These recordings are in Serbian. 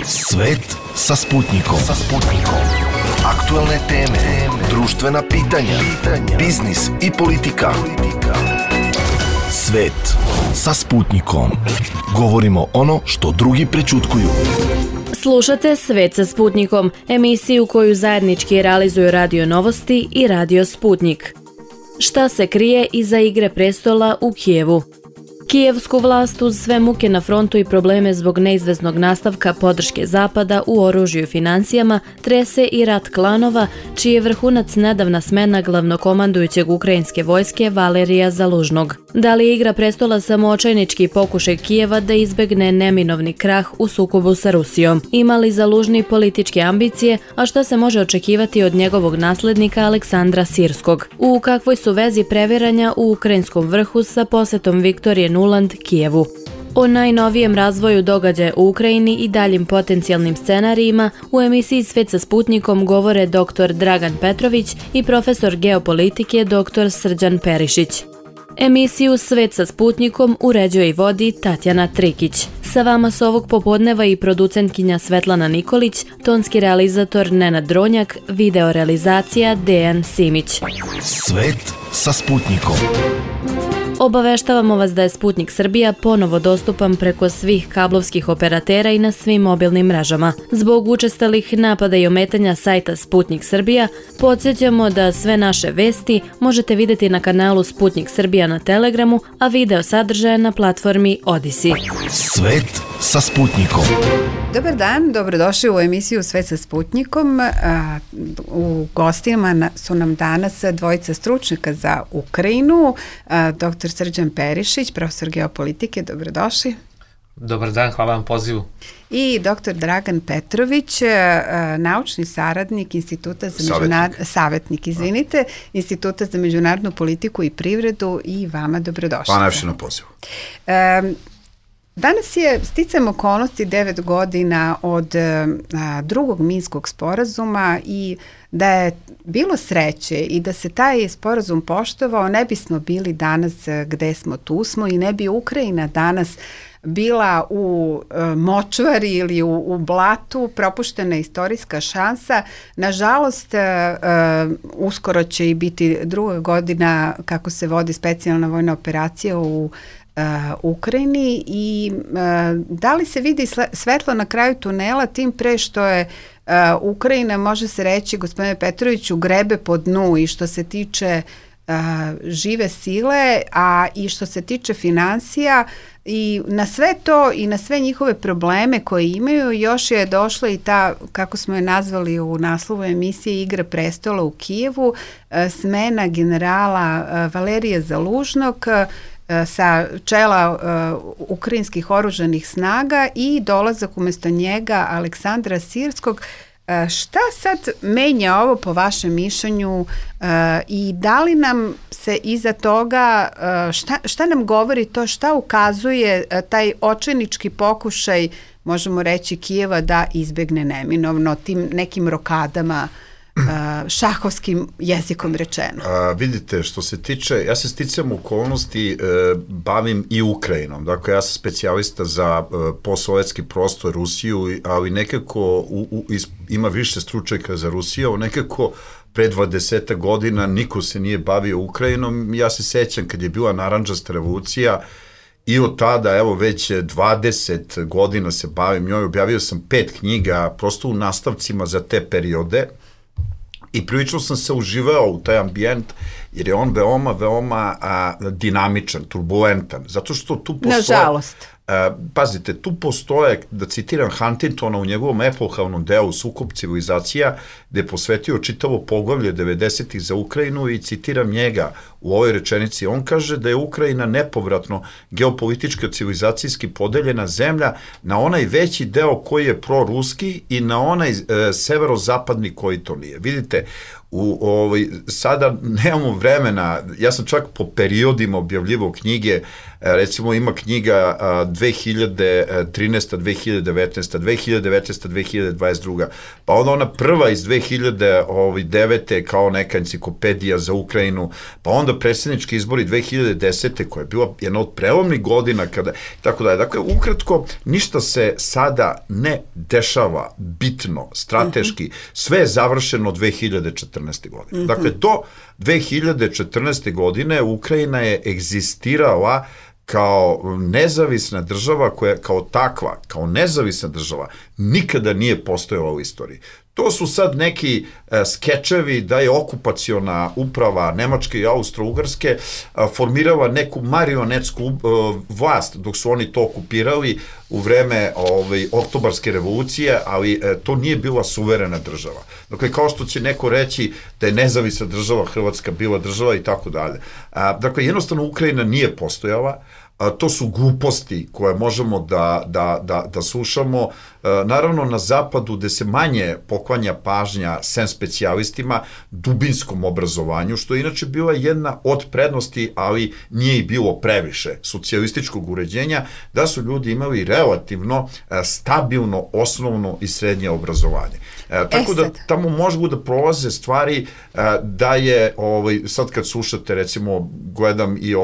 Svet sa Sputnikom. Aktuelne teme, društvena pitanja, biznis i politika. Svet sa Sputnikom. Govorimo ono što drugi prećutkuju. Slušate Svet sa Sputnikom, emisiju koju zajednički realizuju Radio Novosti i Radio Sputnik. Šta se krije iza Igre prestola u Kijevu? Kijevsku vlast uz sve muke na frontu i probleme zbog neizvesnog nastavka podrške Zapada u oružju i financijama trese i rat klanova, čiji je vrhunac nedavna smena glavnokomandujućeg ukrajinske vojske Valerija Zalužnog. Da li je Igra prestola samo očajnički pokušaj Kijeva da izbegne neminovni krah u sukobu sa Rusijom? Ima li Zalužni političke ambicije, a šta se može očekivati od njegovog naslednika Aleksandra Sirskog? U kakvoj su vezi previranja u ukrajinskom vrhu sa posetom Viktorije Nuland Kijevu? O najnovijem razvoju događaja u Ukrajini i daljim potencijalnim scenarijima u emisiji Svet sa Sputnikom govore dr. Dragan Petrović i profesor geopolitike dr. Srđan Perišić. Emisiju Svet sa Sputnikom uređuje i vodi Tatjana Trikić. Sa vama su ovog popodneva i producentkinja Svetlana Nikolić, tonski realizator Nenad Dronjak, video realizacija Dejan Simić. Svet sa Sputnikom. Obaveštavamo vas da je Sputnik Srbija ponovo dostupan preko svih kablovskih operatera i na svim mobilnim mrežama. Zbog učestalih napada i ometanja sajta Sputnik Srbija, podsjećamo da sve naše vesti možete vidjeti na kanalu Sputnik Srbija na Telegramu, a video sadržaje na platformi Odisi. Svet sa Sputnikom. Dobar dan, dobrodošli u emisiju Svet sa Sputnikom. U gostima su nam danas dvojica stručnjaka za Ukrajinu, dr. Srđan Perišić, profesor geopolitike, dobrodošli. Dobar dan, hvala vam pozivu. I dr. Dragan Petrović, naučni saradnik Instituta za Instituta za međunarodnu politiku i privredu, i vama dobrodošli. Hvala najviše na pozivu. Danas je sticajem okolnosti 9 godina od drugog Minskog sporazuma, i da je bilo sreće i da se taj sporazum poštovao, ne bismo bili danas gde smo, tu smo, i ne bi Ukrajina danas bila u močvari ili u blatu. Propuštena istorijska šansa. Nažalost, uskoro će i biti druga godina kako se vodi specijalna vojna operacija u Ukrajini, i da li se vidi svetlo na kraju tunela, tim pre što je Ukrajina, može se reći, gospodine Petroviću, grebe po dnu i što se tiče žive sile, a i što se tiče financija, i na sve to i na sve njihove probleme koje imaju još je došla i ta, kako smo je nazvali u naslovu emisije, Igra prestola u Kijevu, smena generala Valerija Zalužnog sa čela ukrajinskih oružanih snaga i dolazak umjesto njega Aleksandra Sirskog. Šta sad menja ovo po vašem mišljenju, i da li nam se iza toga, šta nam govori to, šta ukazuje taj očajnički pokušaj, možemo reći, Kijeva da izbegne neminovno tim nekim rokadama, šahovskim jezikom rečeno? Vidite, što se tiče, ja se sticajem okolnosti bavim i Ukrajinom, dakle ja sam specijalista za postsovjetski prostor, Rusiju, ali nekako ima više stručnjaka za Rusiju, nekako pre 20 godina niko se nije bavio Ukrajinom. Ja se sećam kad je bila narandžasta revolucija, i od tada, evo, već 20 godina se bavim njoj, objavio sam 5 knjiga prosto u nastavcima za te periode, i prilično sam se uživao u taj ambijent, jer je on veoma dinamičan, turbulentan, zato što tu postoje... Nažalost. Pazite, tu postoje, da citiram Huntingtona u njegovom epohalnom delu Sukob civilizacija, gde je posvetio čitavo poglavlje 90-ih za Ukrajinu, i citiram njega u ovoj rečenici. On kaže da je Ukrajina nepovratno geopolitički civilizacijski podeljena zemlja na onaj veći deo koji je proruski i na onaj severozapadni koji to nije. Vidite, sada nemamo vremena, ja sam čak po periodima objavljivao knjige, recimo ima knjiga 2013. 2019. 2019. 2022. Pa onda ona prva iz 2009. kao neka enciklopedija za Ukrajinu, pa onda predsjednički izbori 2010. koja je bila jedna od prelomnih godina kada, tako da. Dakle, ukratko, ništa se sada ne dešava bitno, strateški, sve je završeno 2014. godine. Dakle, do 2014. godine Ukrajina je egzistirala kao nezavisna država koja kao takva, kao nezavisna država, nikada nije postojala u istoriji. To su sad neki skečevi da je okupaciona uprava Nemačke i Austro-Ugarske formirala neku marionetsku vlast dok su oni to okupirali u vreme oktobarske revolucije, ali to nije bila suverena država. Dakle, kao što će neko reći da je nezavisna država Hrvatska bila država i tako dalje. Dakle, jednostavno Ukrajina nije postojala. To su gluposti koje možemo da slušamo. Naravno, na zapadu, gde se manje poklanja pažnja sem specijalistima, dubinskom obrazovanju, što je inače bila jedna od prednosti, ali nije i bilo previše socijalističkog uređenja, da su ljudi imali relativno stabilno osnovno i srednje obrazovanje. Tako da tamo mogu da prolaze stvari da je, sad kad slušate, recimo, gledam i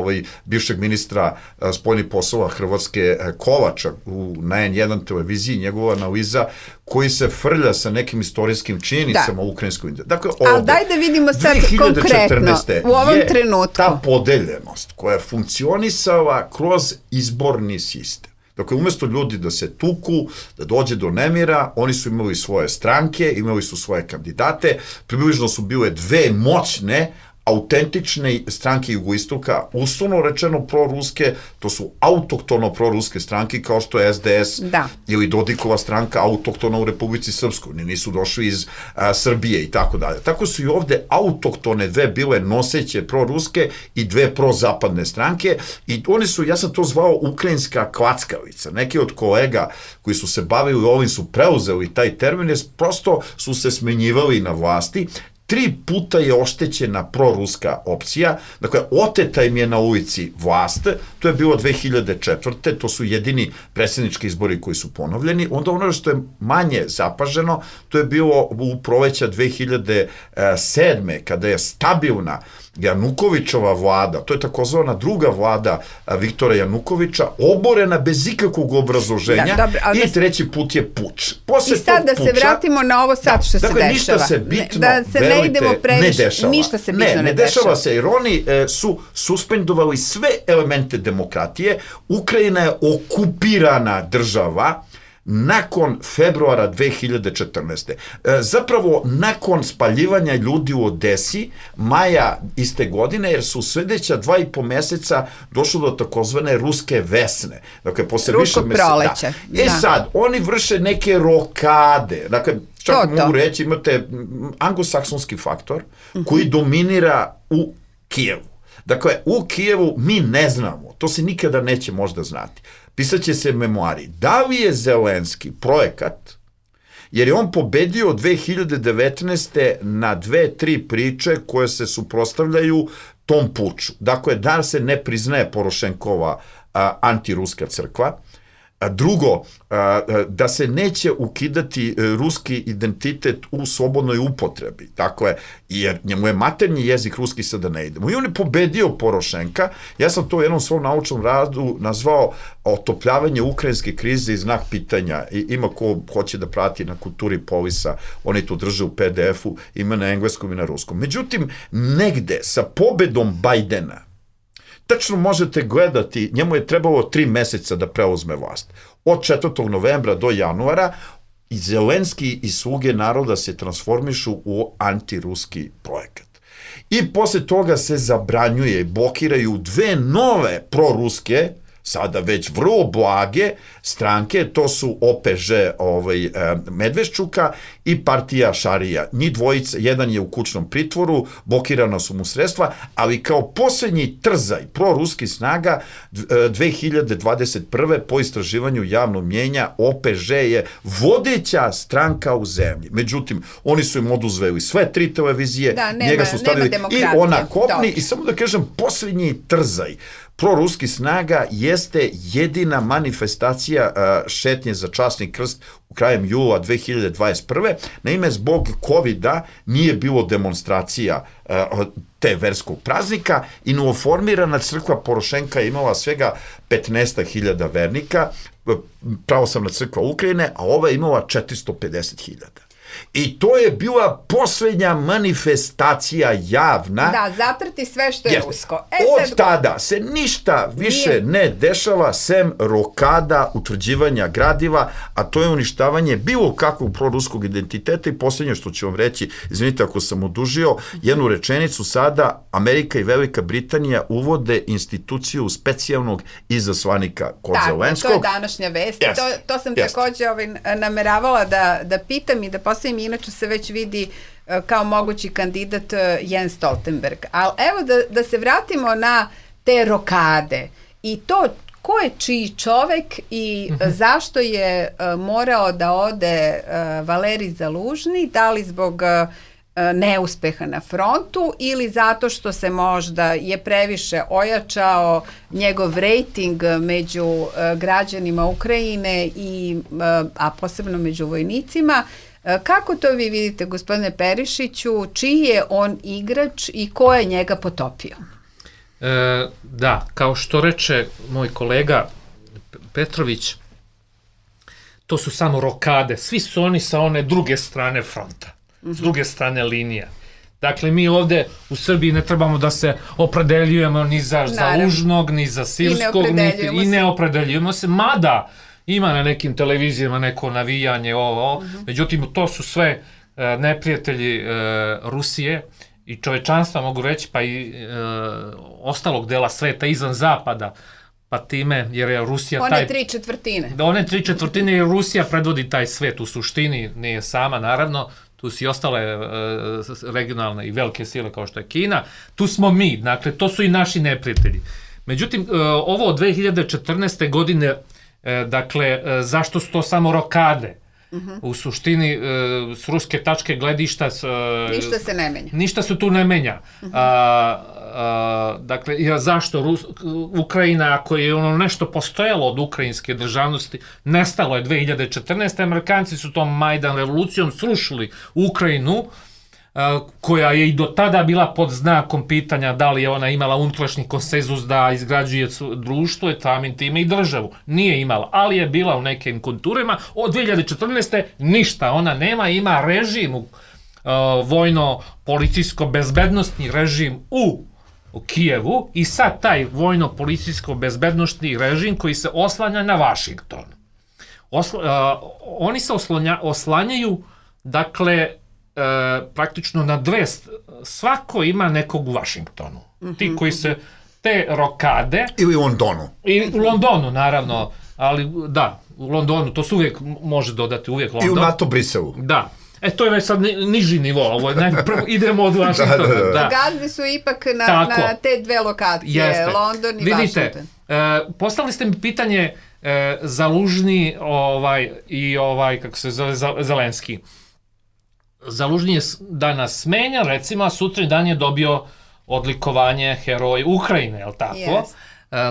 bivšeg ministra spoljnih poslova Hrvatske Kovača na N1 televiziji, njegova analiza koji se frlja sa nekim istorijskim činjenicama u ukrajinskoj. Dakle, ali daj da vidimo sad konkretno u ovom trenutku. Ta podeljenost koja je funkcionisala kroz izborni sistem. Dakle, umjesto ljudi da se tuku, da dođe do nemira, oni su imali svoje stranke, imali su svoje kandidate, približno su bile dve moćne, autentične stranke jugoistoka, uslovno rečeno proruske, to su autoktono proruske stranke kao što je SDS ili Dodikova stranka autoktona u Republici Srpskoj, oni nisu došli iz Srbije i tako dalje. Tako su i ovde autoktone dve bile noseće proruske i dve prozapadne stranke i oni su, ja sam to zvao ukrajinska klackavica. Neki od kolega koji su se bavili ovim su preuzeli taj termin, jer prosto su se smenjivali na vlasti. 3 puta je oštećena proruska opcija, dakle, oteta im je na ulici vlast, to je bilo 2004. To su jedini predsjednički izbori koji su ponovljeni, onda ono što je manje zapaženo, to je bilo u proleća 2007. kada je stabilna Janukovićova vlada, to je takozvana druga vlada Viktora Janukovića, oborena bez ikakvog obrazloženja i treći put je puč. I sad da se vratimo na ovo sad što se dešava. Dakle, ništa se bitno, da se ne idemo previše, ne dešava. Ništa se bitno ne dešava se, jer oni su suspendovali sve elemente demokratije. Ukrajina je okupirana država nakon februara 2014. Zapravo, nakon spaljivanja ljudi u Odesi, maja iste godine, jer su sledeća 2,5 meseca došlo do takozvane ruske vesne. Dakle, posle više meseca. Sad, oni vrše neke rokade. Dakle, čak mogu reći, imate anglosaksonski faktor koji dominira u Kijevu. Dakle, u Kijevu mi ne znamo, to se nikada neće možda znati. Pisaće se memoari. Da li je Zelenski projekat, jer je on pobedio 2019. na 2-3 priče koje se suprotstavljaju tom puču. Dakle, da se ne priznaje Porošenkova antiruska crkva. Drugo, da se neće ukidati ruski identitet u slobodnoj upotrebi. Dakle, jer njemu je maternji jezik ruski, sada ne idemo. I on je pobedio Porošenka. Ja sam to u jednom svom naučnom radu nazvao otopljavanje ukrajinske krize i znak pitanja. I ima ko hoće da prati na Kulturi Polisa, oni to drže u PDF-u, ima na engleskom i na ruskom. Međutim, negde sa pobedom Bajdena, tačno možete gledati, njemu je trebalo 3 meseca da preuzme vlast. Od 4. novembra do januara i Zelenski i sluge naroda se transformišu u antiruski projekat. I posle toga se zabranjuje, blokiraju 2 nove proruske, sada već vrlo blage, stranke, to su OPŽ Medveščuka i partija Šarija. Njih dvojica, jedan je u kućnom pritvoru, blokirana su mu sredstva, ali kao posljednji trzaj proruski snaga 2021. po istraživanju javnog mnjenja OPŽ je vodeća stranka u zemlji. Međutim, oni su im oduzeli sve 3 televizije, njega su stavili i ona kopni i samo da kažem, posljednji trzaj proruski snaga jeste jedina manifestacija šetnje za časni krst u krajem jula 2021. Naime, zbog COVID-a nije bilo demonstracija te verskog praznika i novoformirana crkva Porošenka je imala svega 15.000 vernika, pravoslavna crkva Ukrajine, a ova je imala 450.000. I to je bila posljednja manifestacija javna. Da, zatrti sve što je rusko. Od tada se ništa više ne dešava sem rokada, utvrđivanja gradiva, a to je uništavanje bilo kakvog proruskog identiteta. I posljednje što ću vam reći, izvinite ako sam odužio, jednu rečenicu sada, Amerika i Velika Britanija uvode instituciju specijalnog izaslanika kod Zelenskog. To je današnja vest. To sam također nameravala da pitam i da postavim. Inače se već vidi kao mogući kandidat Jens Stoltenberg. Ali evo da se vratimo na te rokade i to ko je čiji čovek i zašto je morao da ode Valerij Zalužni, da li zbog neuspeha na frontu ili zato što se možda je previše ojačao njegov rejting među građanima Ukrajine a posebno među vojnicima. Kako to vi vidite, gospodine Perišiću, čiji je on igrač i ko je njega potopio? Da, kao što reče moj kolega Petrović, to su samo rokade, svi su oni sa one druge strane fronta, s druge strane linija. Dakle, mi ovde u Srbiji ne trebamo da se opredeljujemo ni za Zalužnog, ni za Sirskog, i ne opredeljujemo se, mada ima na nekim televizijama neko navijanje, međutim, to su sve neprijatelji Rusije i čovečanstva, mogu reći, pa i ostalog dela sveta izvan zapada, pa time, jer je Rusija one 3/4. One 3/4 jer Rusija predvodi taj svet u suštini, nije sama, naravno, tu su i ostale regionalne i velike sile kao što je Kina, tu smo mi, dakle, to su i naši neprijatelji. Međutim, ovo od 2014. godine, dakle, zašto su to samo rokade? U suštini, s ruske tačke gledišta... Ništa se ne menja. Ništa se tu ne menja. Dakle, zašto Ukrajina, ako je ono nešto postojalo od ukrajinske državnosti, nestalo je 2014. Amerikanci su tom Majdan revolucijom srušili Ukrajinu, koja je i do tada bila pod znakom pitanja da li je ona imala unutrašnji konsenzus da izgrađuje društvo, samim time i državu. Nije imala, ali je bila u nekim konturima. Od 2014. ništa ona nema, ima režim, vojno-policijsko-bezbednostni režim u Kijevu i sad taj vojno-policijsko-bezbednostni režim koji se oslanja na Vašington. Oni se oslanjaju, dakle, praktično na dve, svako ima nekog u Vašingtonu. Ti koji se, te rokade... Ili u Londonu. I u Londonu, naravno, ali da, u Londonu, to se uvijek može dodati, uvijek London. I u NATO Briselu. Da. To je već sad niži nivo, ovo je prvo idemo od Vašingtona. Gazdi su ipak na te dve lokacije, London i Vašington. Postavili ste mi pitanje Zalužni i kako se zove Zelenski. Zalužni je danas smenjan, recimo, a sutra dan je dobio odlikovanje Heroj Ukrajine, je li tako?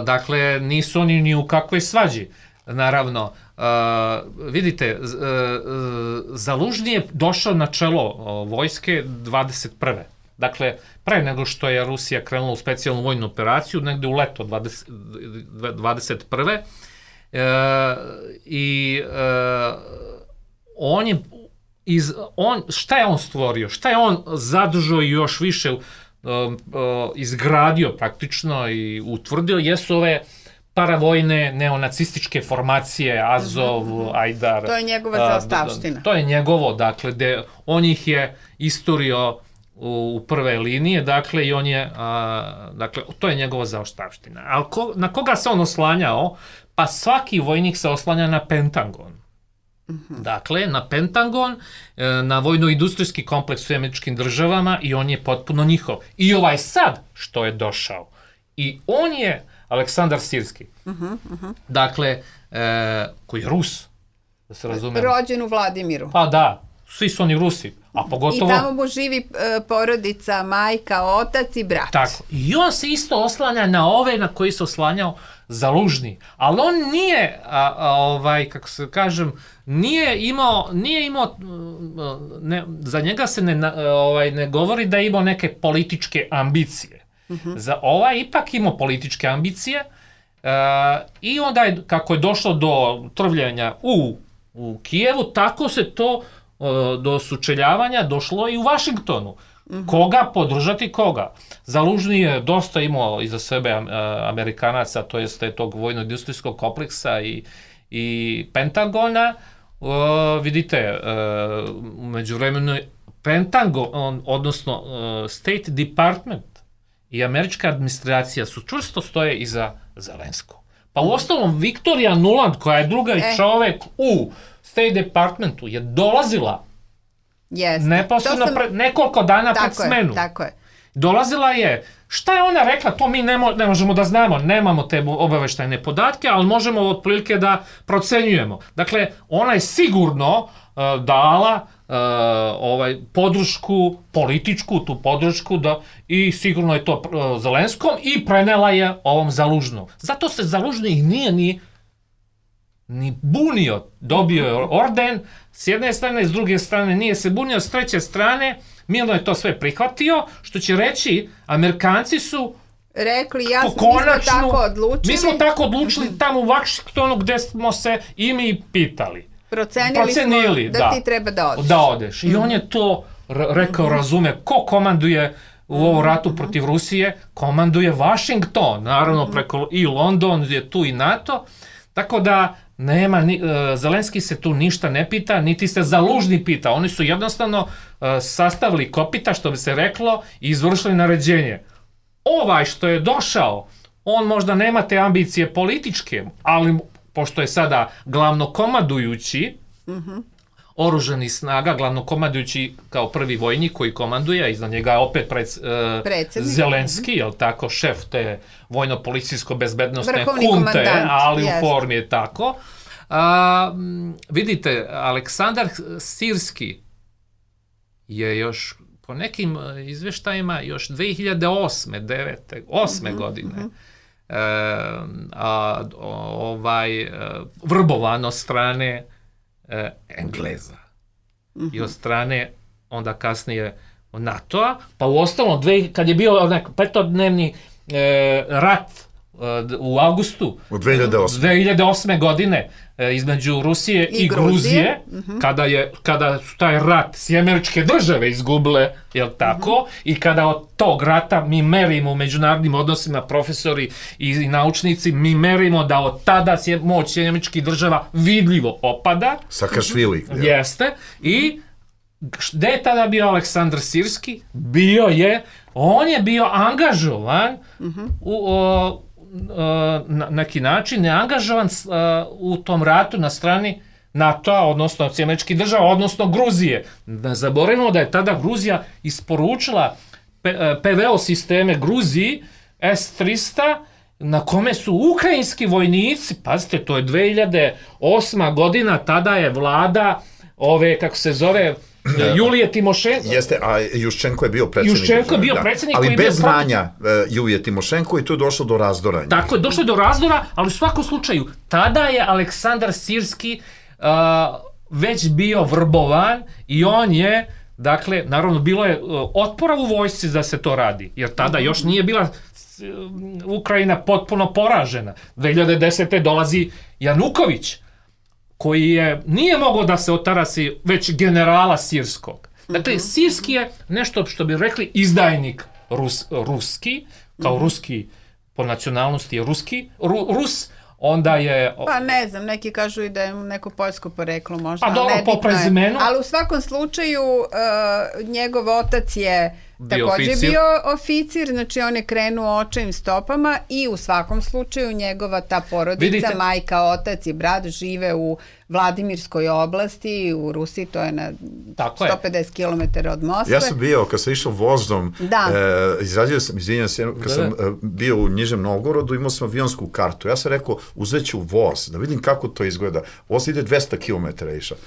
Dakle, nisu oni ni u kakvoj svađi. Naravno, vidite, Zalužni je došao na čelo vojske 21. Dakle, pre nego što je Rusija krenula u specijalnu vojnu operaciju, negde u leto 21. I on je šta je on stvorio, šta je on zadržao i još više izgradio praktično i utvrdio, jesu ove paravojne neonacističke formacije, Azov, Ajdar. To je njegova zaostavština. To je njegovo, dakle, on ih je isturio u prve linije, dakle, i on je, dakle, to je njegova zaostavština. Ali na koga se on oslanjao? pa svaki vojnik se oslanja na Pentagon. Dakle, na Pentagon, na vojno-industrijski kompleks u Američkim državama i on je potpuno njihov. I ovaj sad što je došao. I on je Aleksandar Sirski. Dakle, koji je Rus, da se razume. Rođen u Vladimiru. Pa da, svi su oni Rusi. A pogotovo... I tamo mu živi porodica, majka, otac i brat. Tako. I on se isto oslanja na ove na koji se oslanjao Zalužni. Ali on nije, kako se kažem, nije imao za njega se ne govori da je imao neke političke ambicije. Za ovaj ipak imao političke ambicije i onda je, kako je došlo do trvljenja u Kijevu, tako se to do sučeljavanja došlo i u Vašingtonu. Koga podržati koga? Zalužni je dosta imao iza sebe Amerikanaca, to jeste tog vojno-industrijskog kompleksa i Pentagona. Vidite, u međuvremenu Pentagon, odnosno State Department i američka administracija su čvrsto stoje iza Zelenskog. Pa u ostalom Victoria Nuland, koja je drugi čovek u State Departmentu, je dolazila neposredno nekoliko dana pred smenu. Tako je. Dolazila je, šta je ona rekla, to mi ne možemo da znamo, nemamo te obaveštajne podatke, ali možemo otprilike da procenjujemo. Dakle, ona je sigurno dala podršku, političku tu podršku i sigurno je to Zelenskom i prenela je ovom Zalužnom. Zato se Zalužni nije ni bunio, dobio je orden s jedne strane, s druge strane nije se bunio, s treće strane mirno je to sve prihvatio, što će reći, Amerikanci su rekli, mi smo tako odlučili tamo u Vašingtonu gde smo se i mi pitali. Procenili smo da ti treba da odeš. I on je to rekao, razume, ko komanduje u ovom ratu protiv Rusije? Komanduje Vašington, naravno preko i London je tu i NATO, tako da Zelenski se tu ništa ne pita, niti se Zalužni pita. Oni su jednostavno sastavili kopita, što bi se reklo, i izvršili naređenje. Ovaj što je došao, on možda nema te ambicije političke, ali pošto je sada glavnokomandujući oružanih snaga, glavnokomandujući kao prvi vojnik koji komanduje, a iznad njega je opet Zelenski, jel tako, šef te vojno-policijsko-bezbednostne hunte, ali u formi je tako. Vidite, Aleksandar Sirski je još po nekim izveštajima još 2008. godine vrbovan od strane Engleza i od strane onda kasnije NATO-a, pa u ostalom kad je bio petodnevni rat u avgustu 2008. godine između Rusije i Gruzije, kada su taj rat Američke države izgubile, jel tako, i kada od tog rata mi merimo u međunarodnim odnosima, profesori i naučnici, mi merimo da od tada moć Američkih država vidljivo opada. Sakašvili. Jeste. I gde je tada bio Aleksandar Sirski? On je bio angažovan na neki način neangažovan u tom ratu na strani NATO-a, odnosno Američkih država, odnosno Gruzije. Ne zaboravimo da je tada Gruzija isporučila PVO sisteme Gruziji S-300, na kome su ukrajinski vojnici, pazite, to je 2008. godina, tada je vlada kako se zove, Julije Timošenko. Jeste, a Juščenko je bio predsjednik. Ali bez znanja Julije Timošenko i tu je došlo do razdora. Tako je, došlo je do razdora, ali u svakom slučaju, tada je Aleksandar Sirski već bio vrbovan i on je, dakle, naravno bilo je otpora u vojsci da se to radi, jer tada još nije bila Ukrajina potpuno poražena. 2010. dolazi Januković, koji nije mogao da se otarasi već generala Sirskog. Dakle, Sirski je nešto što bi rekli izdajnik ruski, kao ruski po nacionalnosti je Rus, onda je... Pa ne znam, neki kažu i da je neko poljsko poreklo možda, pa dobro, po prezimenu. Ali u svakom slučaju njegov otac je takođe bio oficir, znači on je krenuo očevim stopama i u svakom slučaju njegova ta porodica, majka, otac i brat žive u Vladimirskoj oblasti, u Rusiji, to je na 150 km od Moskve. Ja sam bio, kad sam išao vozom, izradio sam, izvinjam se, kad sam bio u Nižem Novgorodu, imao sam avionsku kartu. Ja sam rekao, uzet ću voz, da vidim kako to izgleda. Voz ide 200 km išao.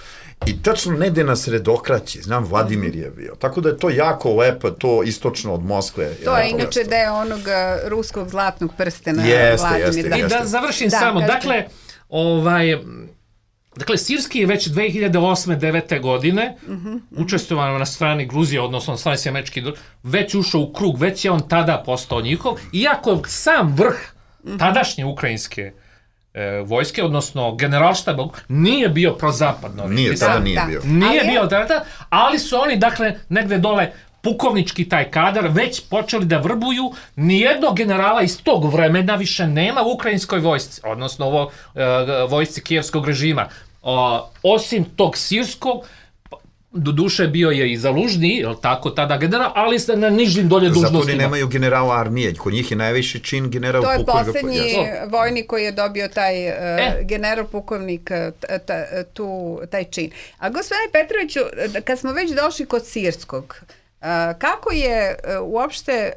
I tačno negde na sredokraći, znam, Vladimir je bio. Tako da je to jako lepo, to istočno od Moskve. To je inače deo onog ruskog zlatnog prstena. Jeste. I da završim samo, dakle, Sirski je već 2008-2009 godine učestvovao na strani Gruzije, odnosno na strani Američkih država, već ušao u krug, već je on tada postao njihov, iako sam vrh tadašnje ukrajinske vojske, odnosno generalštaba, nije bio prozapadno. Tada nije bio. Nije bio tada, ali su oni, dakle, negde dole pukovnički taj kadar već počeli da vrbuju. Nijednog generala iz tog vremena više nema u ukrajinskoj vojsci, odnosno vojsci kijevskog režima. Osim tog sirskog, doduše bio je i Zalužni, je li tako, tada general, ali se na nižim dolje dužnostima. Zato oni nemaju generala armije, kod njih je najviši čin general pukovnik. To je poslednji vojnik koji je dobio taj general pukovnik, taj čin. A gospodine Petroviću, kad smo već došli kod Sirskog, kako je uopšte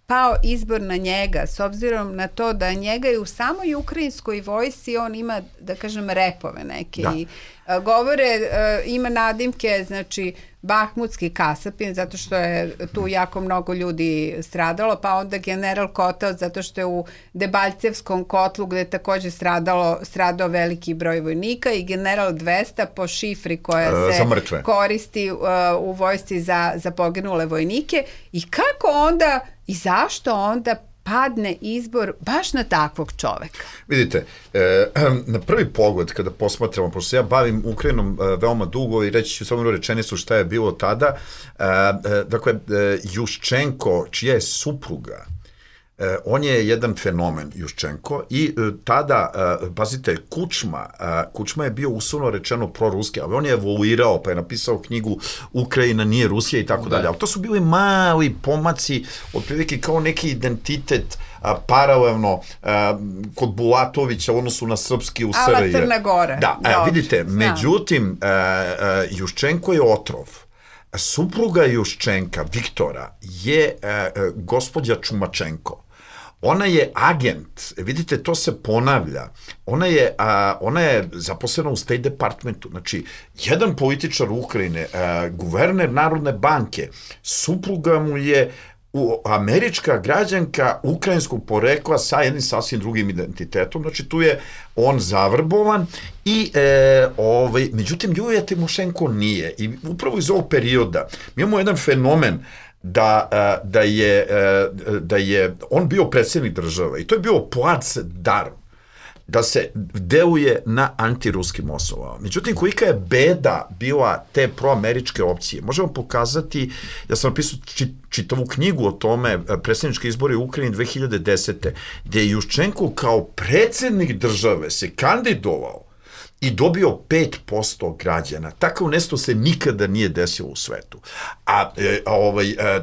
pao izbor na njega, s obzirom na to da njega i u samoj ukrajinskoj vojsci on ima, da kažem, repove neke i govore, ima nadimke, znači Bahmutski kasapin, zato što je tu jako mnogo ljudi stradalo, pa onda general Kotel, zato što je u Debalcevskom kotlu, gde je takođe stradao veliki broj vojnika, i general 200 po šifri koja se koristi u vojsci za poginule vojnike. I kako onda i zašto onda padne izbor baš na takvog čoveka? Vidite, na prvi pogled kada posmatramo, pošto se ja bavim Ukrajinom veoma dugo i reći ću samo jednu rečenicu šta je bilo tada, dakle, Juščenko, čija je supruga, on je jedan fenomen, Juščenko, i tada, pazite, Kučma je bio uslovno rečeno proruski, ali on je evoluirao, pa je napisao knjigu Ukrajina nije Rusija i tako dalje, ali to su bili mali pomaci, otprilike kao neki identitet paralelno kod Bulatovića u odnosu na srpski u SRJ. Ala Crna Gora. Da, vidite, međutim, Juščenko je otrov. Supruga Juščenka, Viktora, je gospođa Čumačenko. Ona je agent, vidite, to se ponavlja. Ona je zaposlena u State Departmentu. Znači, jedan političar Ukrajine, guverner Narodne banke, supruga mu je američka građanka ukrajinskog porekla sa jednim sasvim drugim identitetom, znači tu je on zavrbovan i međutim Julija Timošenko nije, i upravo iz ovog perioda mi imamo jedan fenomen da je on bio predsjednik države i to je bio plac dar da se deluje na antiruskim osnovama. Međutim, kolika je beda bila te proameričke opcije, možemo pokazati, ja sam napisao čitavu knjigu o tome, predsjednički izbori u Ukrajini 2010. gdje je Juščenko kao predsjednik države se kandidovao i dobio 5% građana. Takav nešto se nikada nije desilo u svetu.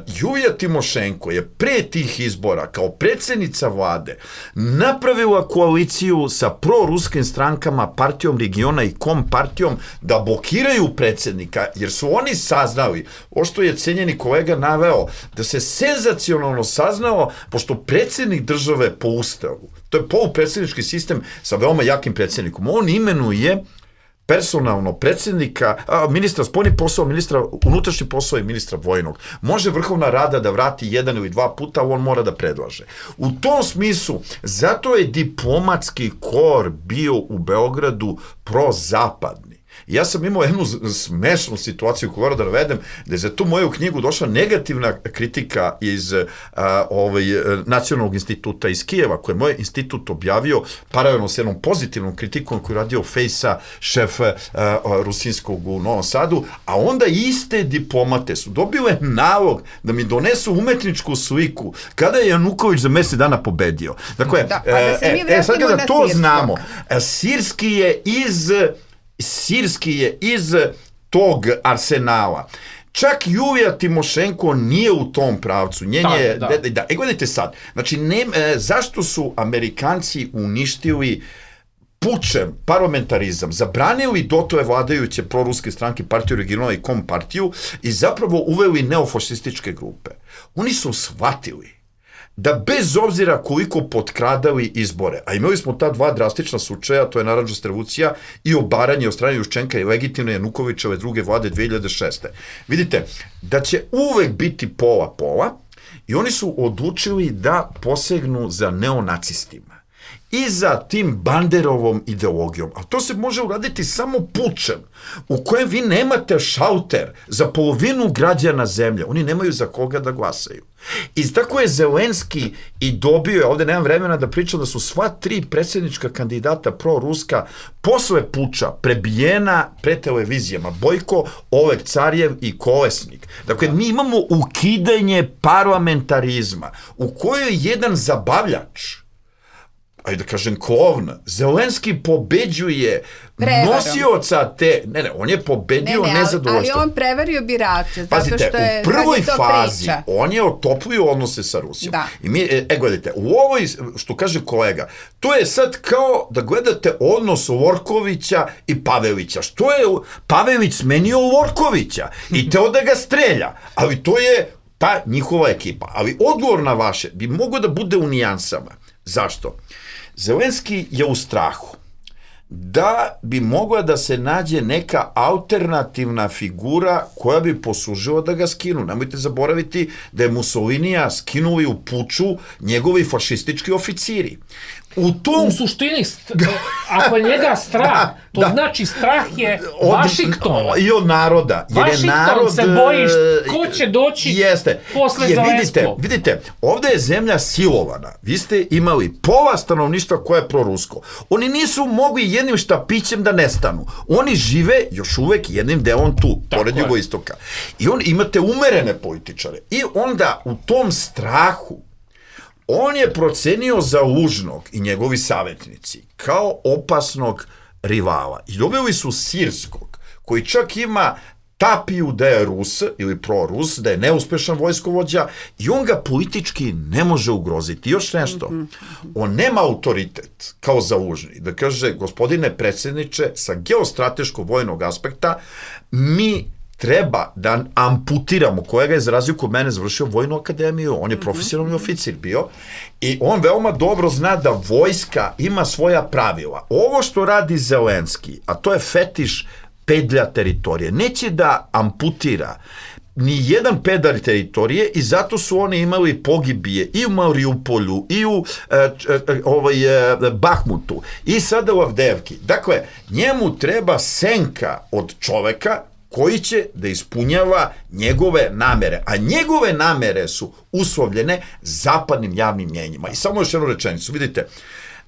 Julija Timošenko je pre tih izbora kao predsjednica vlade napravila koaliciju sa proruskim strankama, partijom regiona i kompartijom da blokiraju predsjednika, jer su oni saznali, ovo što je cenjeni kolega naveo, da se senzacionalno saznao, pošto predsjednik države po ustavu, to je polupredsjednički sistem sa veoma jakim predsjednikom, on imenuje personalno predsjednika, ministra spoljnih poslova, ministra unutrašnjih poslova i ministra vojnog. Može Vrhovna rada da vrati jedan ili dva puta, on mora da predlaže. U tom smislu, zato je diplomatski kor bio u Beogradu prozapadni. Ja sam imao jednu smešnu situaciju koju moram da navedem, da je za tu moju knjigu došla negativna kritika iz Nacionalnog instituta iz Kijeva, koje je moj institut objavio paralelno s jednom pozitivnom kritikom koju je radio Fejsa, šef rusinskog u Novom Sadu, a onda iste diplomate su dobile nalog da mi donesu umetničku sliku kada je Januković za mesec dana pobedio. Dakle, sad kada to znamo, Sirski je iz tog arsenala. Čak Julija Timošenko nije u tom pravcu. Gledajte sad, znači, zašto su Amerikanci uništili pučem parlamentarizam, zabranili dotove vladajuće proruske stranke, partiju regionala i kompartiju i zapravo uveli neofašističke grupe? Oni su shvatili da bez obzira koliko potkradali izbore, a imali smo ta dva drastična slučaja, to je narandžasta revolucija i obaranje od strane Juščenka i legitimne Janukovićeve druge vlade 2006. Vidite, da će uvek biti pola-pola i oni su odlučili da posegnu za neonacistima i za tim Banderovom ideologijom. A to se može uraditi samo pučem, u kojem vi nemate šalter za polovinu građana zemlje. Oni nemaju za koga da glasaju. I tako je Zelenski i dobio, ovde nemam vremena da pričam, da su sva 3 predsjednička kandidata proruska posle puča prebijena pred televizijama. Bojko, Oleg Carjev i Kolesnik. Dakle, mi imamo ukidanje parlamentarizma u kojoj jedan zabavljač, ajde da kažem klovn, Zelenski pobeđuje nosioca te, on je pobedio nezadovoljstvo. Ali on prevario birače, zato Pazite, što je, u prvoj fazi on je otoplio odnose sa Rusijom. Da. I mi, gledajte, u ovoj, što kaže kolega, to je sad kao da gledate odnos Lorkovića i Pavelića. Što je Pavelić smenio Lorkovića i teo da ga strelja, ali to je ta njihova ekipa. Ali odgovor na vaše bi mogao da bude u nijansama. Zašto? Zelenski je u strahu da bi mogla da se nađe neka alternativna figura koja bi poslužila da ga skinu. Nemojte zaboraviti da je Mussolinija skinuli u puču njegovi fašistički oficiri. U suštini, ako je njega strah, to znači strah je Vašingtona. I od naroda. Vašington se boji ko će doći posle Zelenskog. Vidite, ovde je zemlja silovana. Vi ste imali pola stanovništva koje je prorusko. Oni nisu mogli jednim štapićem da nestanu. Oni žive još uvek jednim delom tu, pored jugoistoka. I imate umerene političare. I onda u tom strahu on je procenio Zalužnog i njegovi savjetnici kao opasnog rivala. I dobili su Sirskog, koji čak ima tapiju da je Rus ili prorus, da je neuspešan vojskovođa i on ga politički ne može ugroziti. Još nešto, on nema autoritet kao Zalužni. Da kaže, gospodine predsjedniče, sa geostrateškog vojnog aspekta, mi treba da amputiramo, kolega je zarazio kod mene, završio vojnu akademiju, on je profesionalni oficir bio i on veoma dobro zna da vojska ima svoja pravila. Ovo što radi Zelenski, a to je fetiš pedlja teritorije, neće da amputira ni jedan pedalj teritorije i zato su oni imali pogibije i u Mariupolju i u Bahmutu i sada u Avdevki. Dakle, njemu treba senka od čoveka koji će da ispunjava njegove namere. A njegove namere su uslovljene zapadnim javnim mnjenjima. I samo još jednu rečenicu. Vidite,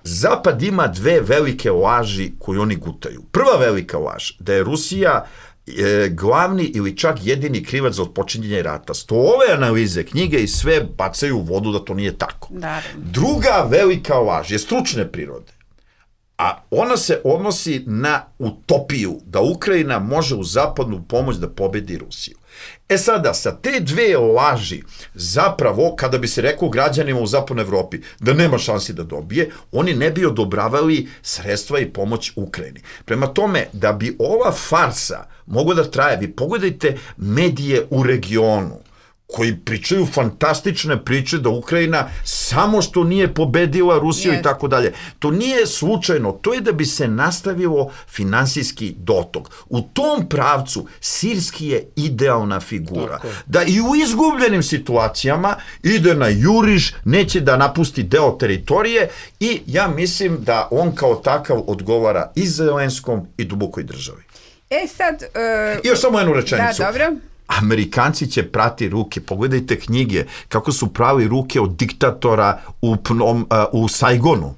Zapad ima 2 velike laži koje oni gutaju. Prva velika laž, da je Rusija glavni ili čak jedini krivac za otpočinjenje rata. Ove analize, knjige i sve bacaju u vodu da to nije tako. Druga velika laž je stručne prirode. A ona se odnosi na utopiju da Ukrajina može u zapadnu pomoć da pobedi Rusiju. Sada, sa te 2 laži, zapravo, kada bi se rekao građanima u zapadnoj Evropi da nema šansi da dobije, oni ne bi odobravali sredstva i pomoć Ukrajini. Prema tome, da bi ova farsa mogla da traje, vi pogledajte medije u regionu, koji pričaju fantastične priče da Ukrajina samo što nije pobedila Rusiju i tako dalje. To nije slučajno, to je da bi se nastavilo finansijski dotok. U tom pravcu Sirski je idealna figura. Da i u izgubljenim situacijama ide na juriš, neće da napusti deo teritorije i ja mislim da on kao takav odgovara i Zelenskom i dubokoj državi. I još samo jednu rečenicu. Da, dobro. Amerikanci će prati ruke. Pogledajte knjige kako su pravi ruke od diktatora u Saigonu,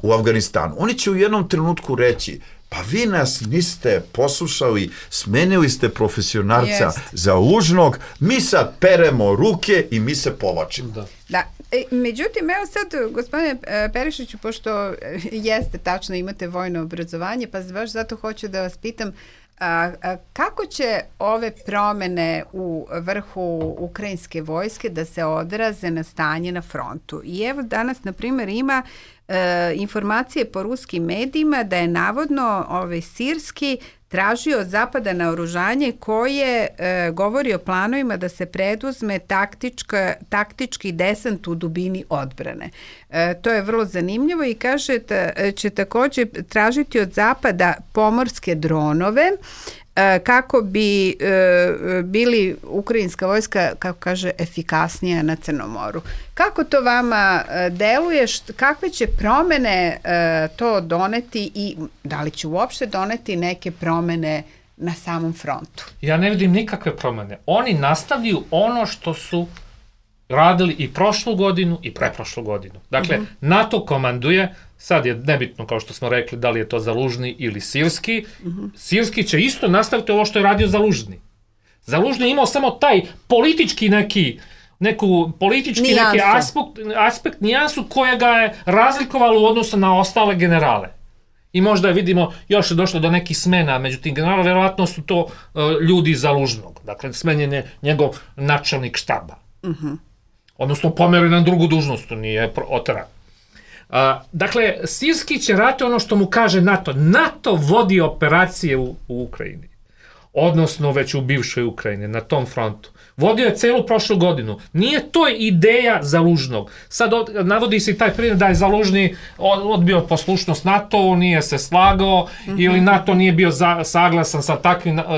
u Afganistanu. Oni će u jednom trenutku reći, pa vi nas niste poslušali, smenili ste profesionalca Zalužnog, mi sad peremo ruke i mi se povlačimo. Da. Međutim, evo sad, gospodine Perišiću, pošto jeste tačno, imate vojno obrazovanje, pa baš zato hoću da vas pitam, Kako će ove promene u vrhu ukrajinske vojske da se odraze na stanje na frontu? I evo danas, na primjer, ima informacije po ruskim medijima da je navodno Sirski tražio od Zapada naoružanje koje govori o planovima da se preduzme taktički desant u dubini odbrane. To je vrlo zanimljivo i kaže da će također tražiti od Zapada pomorske dronove kako bi bili ukrajinska vojska, kako kaže, efikasnija na Crnom moru. Kako to vama deluje? Kakve će promene to doneti i da li će uopšte doneti neke promene na samom frontu? Ja ne vidim nikakve promene. Oni nastavljaju ono što su radili i prošlu godinu i preprošlu godinu. Dakle, NATO komanduje, sad je nebitno, kao što smo rekli, da li je to Zalužni ili Sirski. Sirski će isto nastaviti ovo što je radio Zalužni. Zalužni je imao samo taj politički neki aspekt, nijansu koja ga je razlikovalo u odnosu na ostale generale. I možda vidimo, još je došlo do nekih smena među tim generalima, vjerovatno su to ljudi Zalužnog. Dakle, smenjen je njegov načelnik štaba. Odnosno pomeri na drugu dužnost, nije oteran. Dakle, Sirski će rati ono što mu kaže NATO. NATO vodi operacije u Ukrajini. Odnosno već u bivšoj Ukrajini, na tom frontu. Vodio je celu prošlu godinu. Nije to ideja Zalužnog. Sad navodi se i taj primjer da je Zalužni odbio poslušnost NATO, nije se slagao, ili NATO nije bio saglasan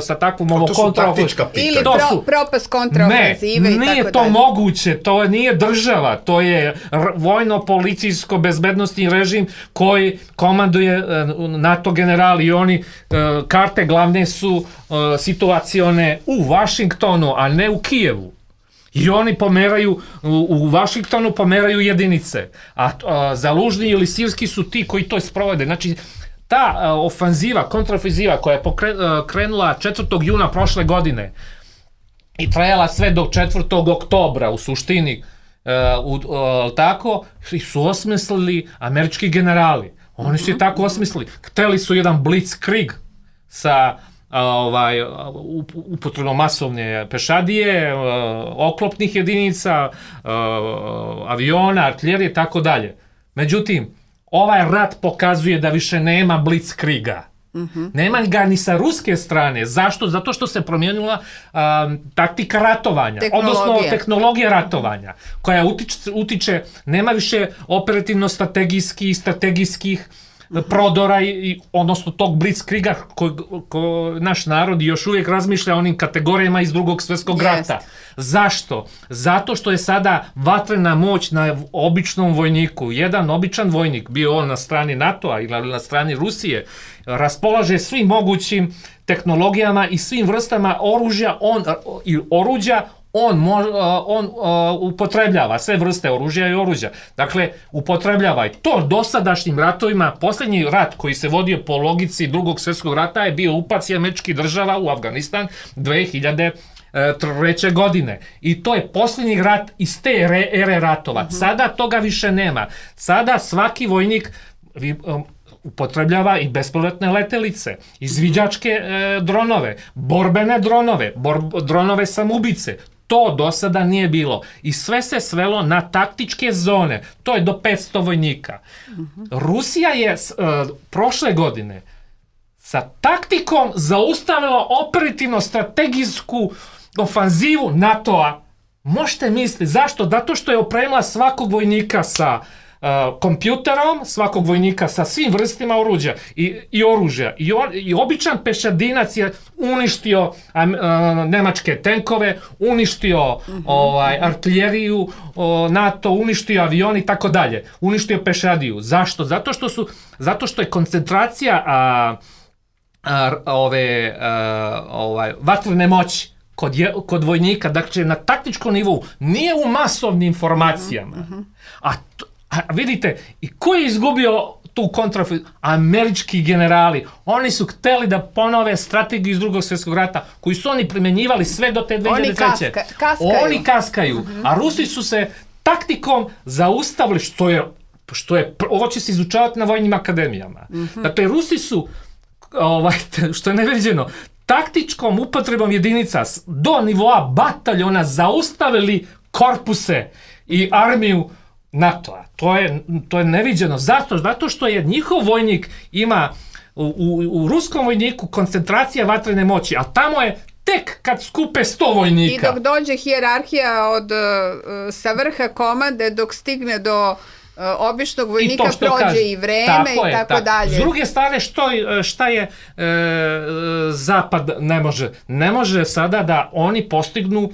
sa takvom ovo kontraofenzivom. Ili propast kontraofenzive i tako dalje. Nije to moguće, to nije država, to je vojno-policijsko bezbednostni režim koji komanduje NATO generali i oni karte glavne su situacione u Vašingtonu, a ne u Kijevu. I oni pomeraju, u Vašingtonu pomeraju jedinice. A Zalužni ili Sirski su ti koji to sprovode. Znači, ta ofanziva, kontraofanziva koja je krenula 4. juna prošle godine i trajala sve do 4. oktobra u suštini, tako, su osmislili američki generali. Oni su je tako osmislili. Hteli su jedan blitzkrieg sa upotrebom masovne pešadije, oklopnih jedinica, aviona, artiljerije, tako dalje. Međutim, ovaj rat pokazuje da više nema blitzkriega. Nema ga ni sa ruske strane. Zašto? Zato što se promijenila taktika ratovanja, odnosno tehnologija ratovanja, koja utiče, nema više operativno-strategijskih prodora, odnosno tog blitzkriega koji naš narod još uvijek razmišlja o onim kategorijama iz Drugog svjetskog rata. Zašto? Zato što je sada vatrena moć na običnom vojniku. Jedan običan vojnik, bio on na strani NATO-a ili na strani Rusije, raspolaže svim mogućim tehnologijama i svim vrstama oruđa. On upotrebljava sve vrste oružja i oruđa. Dakle, upotrebljava i to dosadašnjim ratovima. Posljednji rat koji se vodio po logici Drugog svjetskog rata je bio upac američkih država u Afganistan 2003. godine. I to je posljednji rat iz te ere ratova. Sada toga više nema. Sada svaki vojnik upotrebljava i bespilotne letelice, izviđačke dronove, borbene dronove, dronove samoubice. To do sada nije bilo. I sve se svelo na taktičke zone. To je do 500 vojnika. Rusija je prošle godine sa taktikom zaustavila operativno-strategijsku ofanzivu NATO-a. Možete misliti, zašto? Zato što je opremila svakog vojnika sa kompjuterom, svakog vojnika sa svim vrstima oruđa i oružja. I običan pešadinac je uništio nemačke tenkove, uništio artiljeriju, NATO, uništio avion i tako dalje. Uništio pešadiju. Zašto? Zato što je koncentracija vatrene moći kod vojnika, dakle na taktičkom nivou, nije u masovnim informacijama. A vidite, i ko je izgubio tu kontraofenzivu? Američki generali. Oni su hteli da ponove strategiju iz Drugog svjetskog rata, koju su oni primjenjivali sve do te 2003. Oni kaskaju. A Rusi su se taktikom zaustavili, što je ovo će se izučavati na vojnim akademijama. Dakle, Rusi su što je neviđeno, taktičkom upotrebom jedinica do nivoa bataljona zaustavili korpuse i armiju NATO-a. To je neviđeno. Zato što je njihov vojnik ima u ruskom vojniku koncentracija vatrene moći, a tamo je tek kad skupe 100 vojnika. I dok dođe hijerarhija sa vrha komande, dok stigne do običnog vojnika, prođe i vreme i tako dalje. S druge strane, šta je Zapad ne može? Ne može sada da oni postignu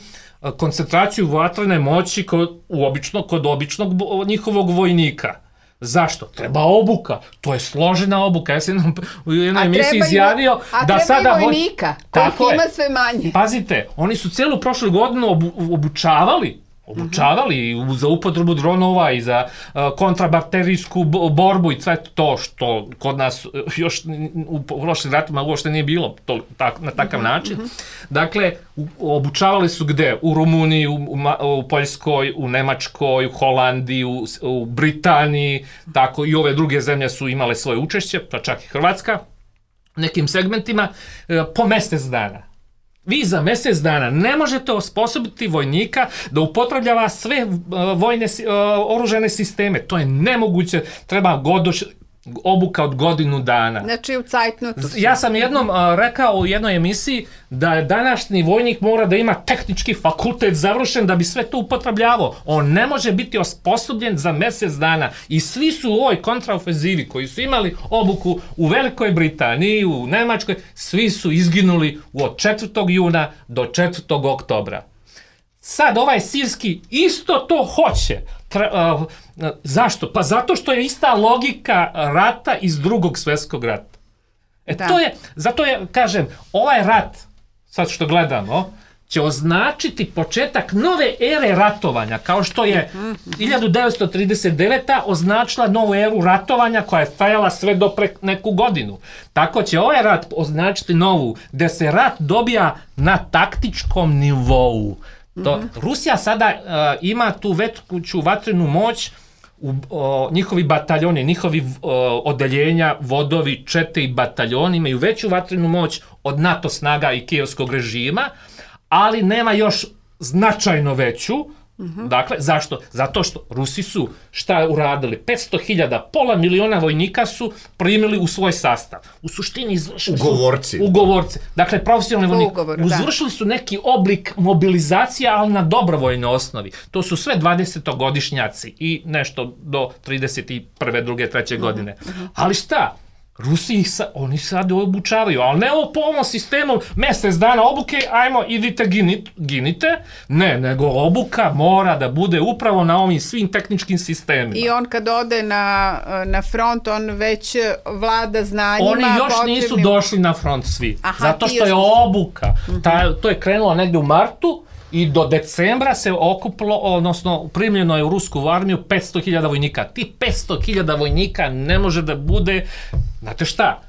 koncentraciju vatrene moći kod običnog njihovog vojnika. Zašto? Treba obuka. To je složena obuka. Ja sam u jednoj emisiji izjavio da sada... A treba i vojnika, kojih ima sve manje. Pazite, oni su cijelu prošlu godinu obučavali za upotrebu dronova i za kontrabakterijsku borbu i sve to što kod nas još u prošlim ratima uopšte nije bilo na takav način. Dakle, obučavali su gde? U Rumuniji, u Poljskoj, u Nemačkoj, u Holandiji, u Britaniji, tako i ove druge zemlje su imale svoje učešće, pa čak i Hrvatska, nekim segmentima, po mjesec dana. Vi za mjesec dana ne možete osposobiti vojnika da upotrebljava sve vojne oružane sisteme. To je nemoguće. Treba obuka od godinu dana. Znači u cajtnotu. Ja sam jednom rekao u jednoj emisiji da je današnji vojnik mora da ima tehnički fakultet završen da bi sve to upotrebljavao. On ne može biti osposobljen za mjesec dana. I svi su u ovoj kontraofenzivi koji su imali obuku u Velikoj Britaniji, u Nemačkoj, svi su izginuli od 4. juna do 4. oktobra. Sad ovaj sirski isto to hoće. Zašto? Pa zato što je ista logika rata iz Drugog svjetskog rata. Zato kažem, ovaj rat, sad što gledamo, će označiti početak nove ere ratovanja, kao što je 1939. označila novu eru ratovanja koja je trajala sve do neku godinu. Tako će ovaj rat označiti novu, gde se rat dobija na taktičkom nivou. Rusija sada ima tu veću vatrenu moć, njihovi bataljoni, njihovi odeljenja, vodovi, čete i bataljoni imaju veću vatrenu moć od NATO snaga i kijevskog režima, ali nema još značajno veću. Dakle, zašto? Zato što Rusi su šta uradili? 500.000, pola miliona vojnika su primili u svoj sastav. U suštini izvršili ugovorci. Dakle, profesionalni vojnik. Izvršili su neki oblik mobilizacija, ali na dobrovoljnoj osnovi. To su sve 20-godišnjaci i nešto do 31. 2. 3. godine. Ali šta? Rusi oni sad obučavaju, ali ne po ovom sistemu mjesec dana obuke, ajmo idite ginite, ne, nego obuka mora da bude upravo na ovim svim tehničkim sistemima. I on kad ode na front, on već vlada znanjima. Oni još nisu došli na front svi, zato što je obuka. To je krenulo negdje u martu i do decembra se okupilo, odnosno primljeno je u rusku armiju 500.000 vojnika. Ti 500.000 vojnika ne može da bude, znate šta,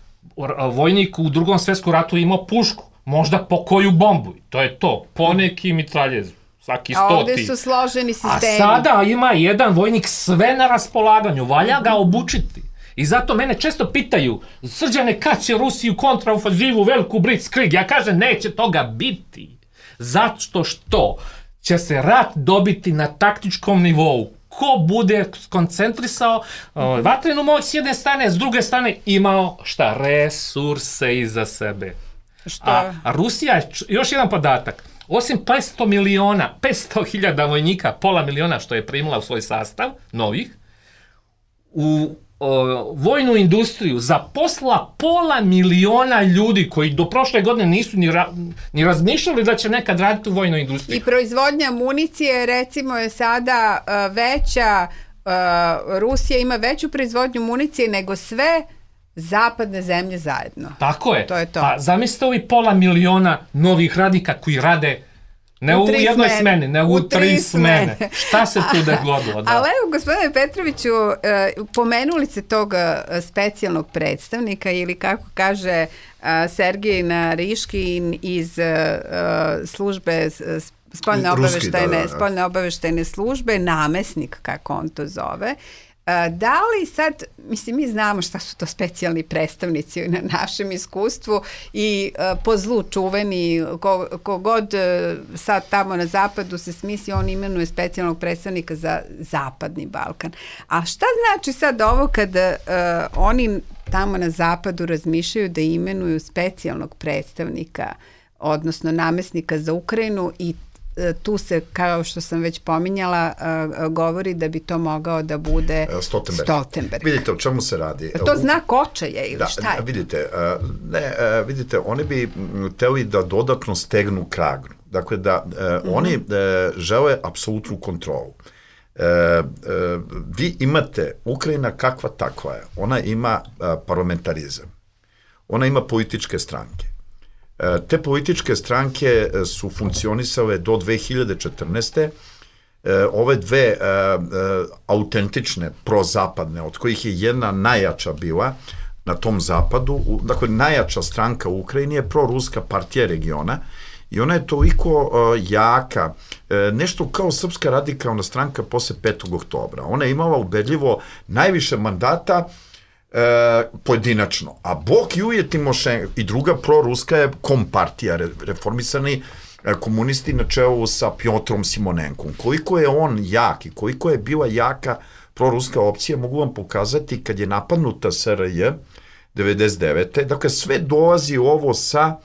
vojnik u Drugom svjetskom ratu imao pušku, možda po koju bombu, to je to, poneki mitraljez, svaki 100. A ovdje su složeni sistemi. A sada ima jedan vojnik sve na raspolaganju, valja ga obučiti. I zato mene često pitaju, Srđane, kad će Rusi u kontraofanzivu Veliku Blitzkrieg? Ja kažem, neće toga biti. Zato što će se rat dobiti na taktičkom nivou. Ko bude skoncentrisao vatrenu moć s jedne strane, s druge strane imao resurse iza sebe. A Rusija, još jedan podatak, osim 500.000 vojnika, pola miliona što je primila u svoj sastav, novih, u vojnu industriju zaposla 500.000 ljudi koji do prošle godine nisu ni razmišljali da će nekad raditi u vojnoj industriji. I proizvodnja municije recimo je sada veća, Rusija ima veću proizvodnju municije nego sve zapadne zemlje zajedno. Tako je. To je to. Pa zamislite ovi 500.000 novih radnika koji rade ne u jednoj smeni, nego u 3 smene. Šta se tu dogodilo? Ali evo, gospodine Petroviću, pomenuli se tog specijalnog predstavnika ili kako kaže Sergej Nariškin iz službe spoljne obaveštajne službe, namesnik, kako on to zove. Da li sad, mislim, mi znamo šta su to specijalni predstavnici na našem iskustvu i po zlu čuveni, kogod sad tamo na zapadu se smisli, on imenuje specijalnog predstavnika za Zapadni Balkan. A šta znači sad ovo kada oni tamo na zapadu razmišljaju da imenuju specijalnog predstavnika, odnosno namesnika za Ukrajinu, i tu se, kao što sam već pominjala, govori da bi to mogao da bude Stoltenberg. Vidite o čemu se radi. To znak očaja ili šta je? Vidite, oni bi hteli da dodatno stegnu kragnu. Dakle, da oni žele apsolutnu kontrolu. Vi imate, Ukrajina kakva takva je, ona ima parlamentarizam, ona ima političke stranke. Te političke stranke su funkcionisale do 2014. Ove dve autentične prozapadne, od kojih je jedna najjača bila na tom zapadu, dakle najjača stranka u Ukrajini je proruska partija regiona i ona je toliko jaka, nešto kao Srpska radikalna stranka posle 5. oktobra. Ona je imala ubedljivo najviše mandata pojedinačno, a Bok Julije Timošenko i druga proruska je kompartija, reformisani komunisti na čelu sa Pjotrom Simonenkom. Koliko je on jak i koliko je bila jaka proruska opcija, mogu vam pokazati kad je napadnuta SRJ 99. Dakle, sve dolazi ovo sa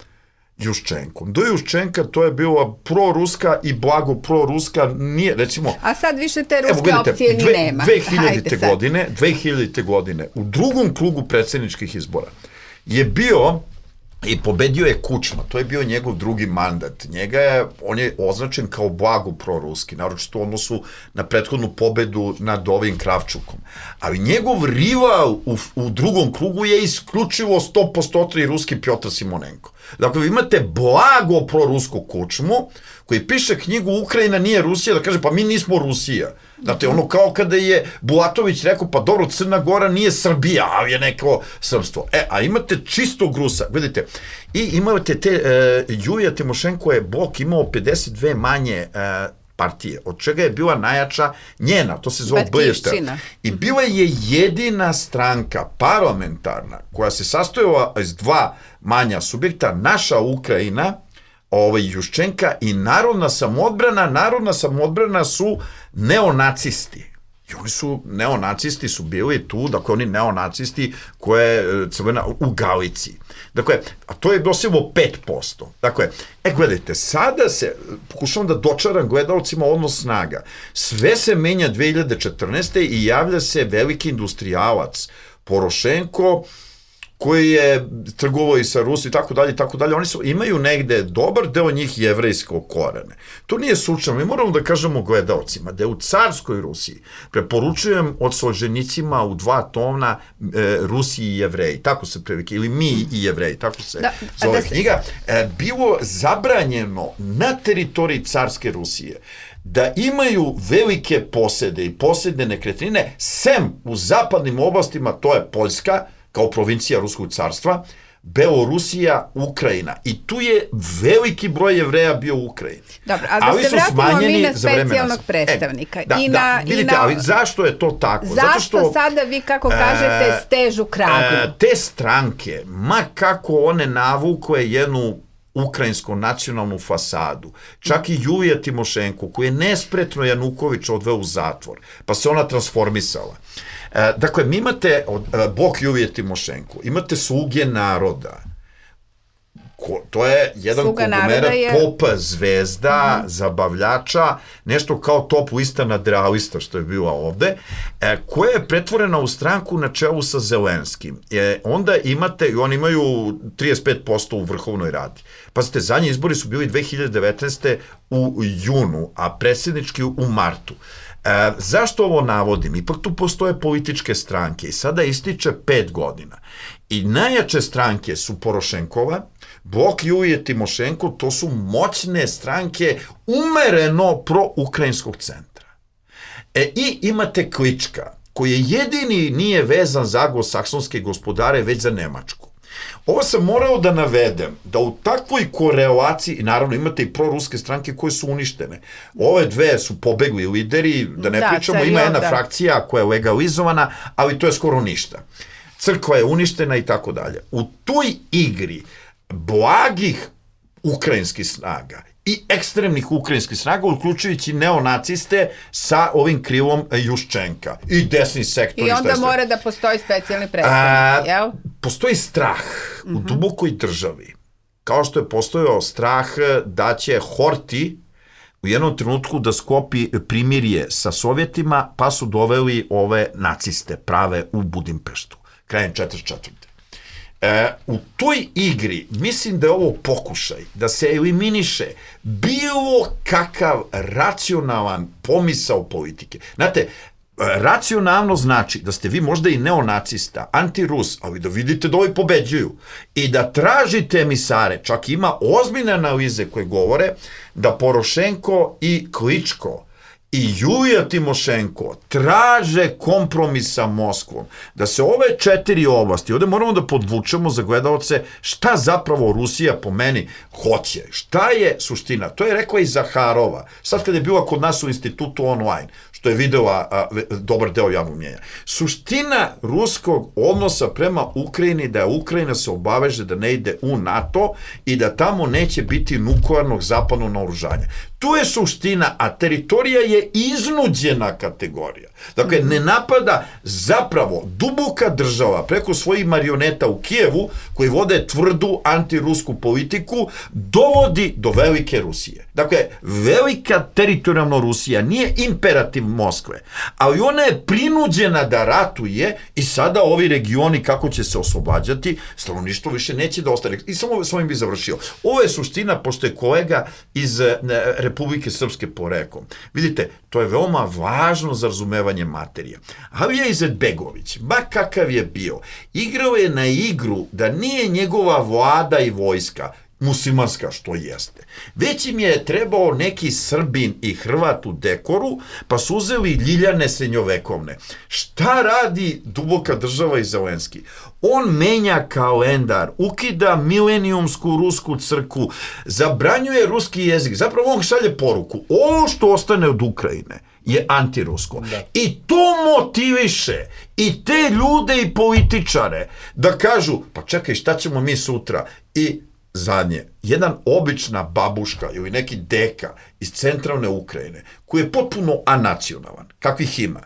Juščenkom. Do Juščenka to je bila proruska i blago proruska, nije, recimo... A sad više te ruske opcije ni nema. 2000. godine, u drugom krugu predsjedničkih izbora je bio i pobedio je Kučma, to je bio njegov drugi mandat. On je označen kao blago proruski, naročito u odnosu na prethodnu pobedu nad ovim Kravčukom. Ali njegov rival u drugom krugu je isključivo 100% ruski Pjotr Simonenko. Dakle, vi imate blago prorusku Kučmu, koji piše knjigu Ukrajina nije Rusija, da kaže pa mi nismo Rusija. Znate, ono kao kada je Bulatović rekao, pa dobro, Crna Gora nije Srbija, ali je neko srpstvo. A imate čistog Rusa, vidite, i imate Julija Timošenko je Bok imao 52 manje partije, od čega je bila najjača njena, to se zove Blješta. I bila je jedina stranka parlamentarna koja se sastojala iz dva manja subjekta, naša Ukrajina, Juščenka i Narodna samoodbrana su neonacisti. I oni su, neonacisti su bili tu, dakle oni neonacisti koje crvena u Galiciji. Dakle, a to je doseglo 5%. Dakle, gledajte, sada se, pokušavam da dočaram gledalcima odnos snaga. Sve se menja 2014. i javlja se veliki industrijalac Porošenko, koji je trgovao i sa Rusijom i tako dalje, oni imaju negde dobar deo njih jevrejskog korene. To nije slučajno, mi moramo da kažemo gledalcima da je u carskoj Rusiji, preporučujem od Solženicima u 2 tona Rusi i Jevreji, tako se previke, ili mi i Jevreji, tako se zove knjiga, bilo zabranjeno na teritoriji carske Rusije da imaju velike posede i posedne nekretnine, sem u zapadnim oblastima, to je Poljska, kao provincija Ruskog carstva, Belorusija, Ukrajina. I tu je veliki broj Jevreja bio u Ukrajini. Dobro, ali da se vratimo mi na specijalnog predstavnika. Vidite, ali zašto je to tako? Zašto sada vi, kako kažete, stežu kragnu? Te stranke, ma kako one navukle jednu ukrajinsku nacionalnu fasadu, čak i Julija Timošenko, koju je nespretno Januković odveo u zatvor, pa se ona transformisala. Dakle, mi imate Bok Julije Timošenko, imate Sluge naroda, to je jedan konglomerat pop zvezda, zabavljača, nešto kao top lista nadrealista što je bila ovde, koja je pretvorena u stranku na čelu sa Zelenskim. Onda imate, i oni imaju 35% u vrhovnoj radi. Pazite, zadnji izbori su bili 2019. u junu, a predsjednički u martu. Zašto ovo navodim? Ipak tu postoje političke stranke i sada ističe 5 godina. I najjače stranke su Porošenkova, Blok Julije Timošenko, to su moćne stranke umereno pro-ukrajinskog centra. I imate Klička, koji jedini nije vezan za anglosaksonske gospodare, već za Nemačku. Ovo sam morao da navedem, da u takvoj korelaciji, naravno imate i proruske stranke koje su uništene. Ove dve su pobegli lideri, da ne pričamo, ima jedna frakcija koja je legalizovana, ali to je skoro ništa. Crkva je uništena i tako dalje. U toj igri blagih ukrajinskih snaga i ekstremnih ukrajinskih snaga, uključujući neonaciste sa ovim krilom Juščenka i desni sektor. I onda mora da postoji specijalni predstavnik, jel? Postoji strah u dubokoj državi, kao što je postojao strah da će Horti u jednom trenutku da sklopi primirje sa Sovjetima, pa su doveli ove naciste prave u Budimpeštu, krajem 1944. U toj igri mislim da je ovo pokušaj da se eliminiše bilo kakav racionalan pomisao politike. Znate, racionalno znači da ste vi možda i neonacista, antirus, ali da vidite da ovi pobeđuju i da tražite emisare. Čak ima ozbiljne analize koje govore da Porošenko i Kličko i Julija Timošenko traže kompromis sa Moskvom, da se ove 4 oblasti, ovde moramo da podvučemo za gledaoce šta zapravo Rusija po meni hoće, šta je suština. To je rekla i Zaharova, sad kada je bila kod nas u institutu online, što je videla dobar deo javnog mnjenja. Suština ruskog odnosa prema Ukrajini da je Ukrajina se obaveže da ne ide u NATO i da tamo neće biti nuklearnog zapadnog naoružanja. Tu je suština, a teritorija je iznuđena kategorija. Dakle, ne napada zapravo duboka država preko svojih marioneta u Kijevu, koji vode tvrdu antirusku politiku, dovodi do velike Rusije. Dakle, velika teritorijalna Rusija nije imperativ Moskve, ali ona je prinuđena da ratuje i sada ovi regioni kako će se oslobađati, stanovništvo više neće da ostane. I samo s ovim bi završio. Ovo je suština, pošto je kolega iz Republike Srpske porekao. Vidite, to je veoma važno za razumevanje materije. Alija Izetbegović, ba kakav je bio, igrao je na igru da nije njegova vlada i vojska muslimanska, što jeste. Već im je trebao neki Srbin i Hrvat u dekoru, pa su uzeli Ljiljane srednjovekovne. Šta radi duboka država i Zelenski? On menja kalendar, ukida milenijumsku rusku crkvu, zabranjuje ruski jezik, zapravo on šalje poruku. Ovo što ostane od Ukrajine je antirusko. Da. I to motiviše i te ljude i političare da kažu, pa čekaj, šta ćemo mi sutra? I zadnje, jedan obična babuška ili neki deka iz centralne Ukrajine, koji je potpuno anacionalan, kakvih ima,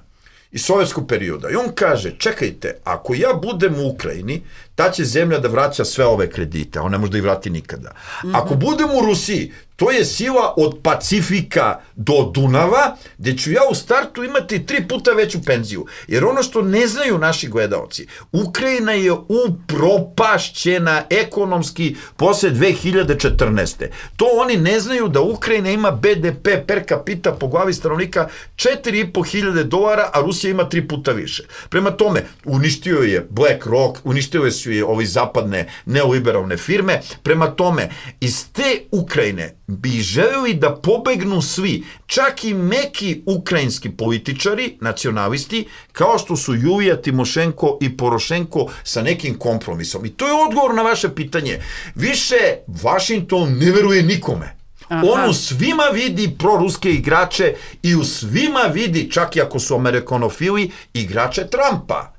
iz sovjetskog perioda. I on kaže, čekajte, ako ja budem u Ukrajini, ta će zemlja da vraća sve ove kredite, a on ne može da ih vrati nikada. Ako budem u Rusiji, to je sila od Pacifika do Dunava, gde ću ja u startu imati 3 puta veću penziju. Jer ono što ne znaju naši gledaoci, Ukrajina je upropašćena ekonomski posle 2014. To oni ne znaju da Ukrajina ima BDP per capita po glavi stanovnika $4.500, a Rusija ima 3 puta više. Prema tome, uništio je BlackRock, uništio su je ovi zapadne neoliberalne firme. Prema tome, iz te Ukrajine bi želeli da pobegnu svi, čak i meki ukrajinski političari, nacionalisti, kao što su Julija Timošenko i Porošenko sa nekim kompromisom. I to je odgovor na vaše pitanje. Više Washington ne veruje nikome. On u svima vidi proruske igrače i u svima vidi, čak i ako su amerikanofili, igrače Trumpa.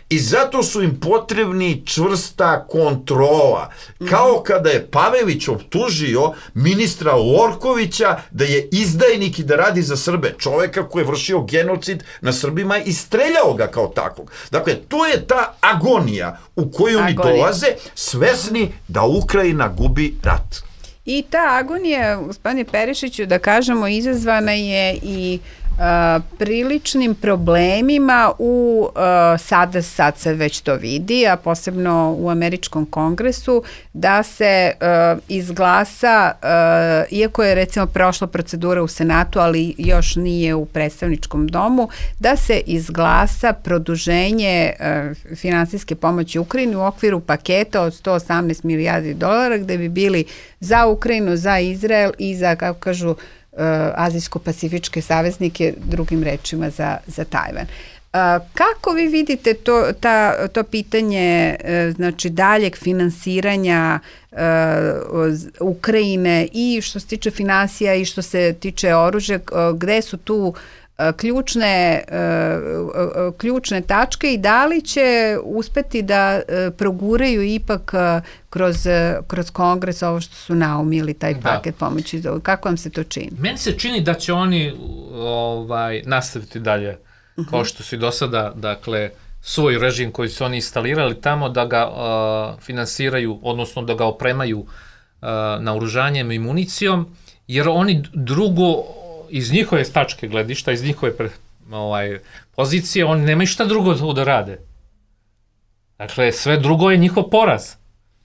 I zato su im potrebni čvrsta kontrola. Kao kada je Pavelić optužio ministra Lorkovića da je izdajnik i da radi za Srbe. Čoveka koji je vršio genocid na Srbima i streljao ga kao takvog. Dakle, to je ta agonija u koju oni dolaze, svesni da Ukrajina gubi rat. I ta agonija, gospodine Perišiću, da kažemo, izazvana je i priličnim problemima sad se već to vidi, a posebno u američkom kongresu, da se izglasa, iako je recimo prošla procedura u Senatu, ali još nije u predstavničkom domu, da se izglasa produženje finansijske pomoći Ukrajini u okviru paketa od $118 milijardi, gde bi bili za Ukrajinu, za Izrael i za, kako kažu, azijsko-pacifičke saveznike, drugim rečima za Tajvan. Kako vi vidite to pitanje znači daljeg finansiranja Ukrajine i što se tiče finansija i što se tiče oružja, gde su tu ključne tačke i da li će uspeti da proguraju ipak kroz kongres ovo što su naumili, taj paket pomoći? Kako vam se to čini? Meni se čini da će oni nastaviti dalje kao što su i do sada, dakle, svoj režim koji su oni instalirali tamo, da ga finansiraju, odnosno da ga opremaju naoružanjem i municijom, jer oni drugo, iz njihove tačke gledišta, iz njihove pozicije, oni nemaju šta drugo da rade. Dakle, sve drugo je njihov poraz.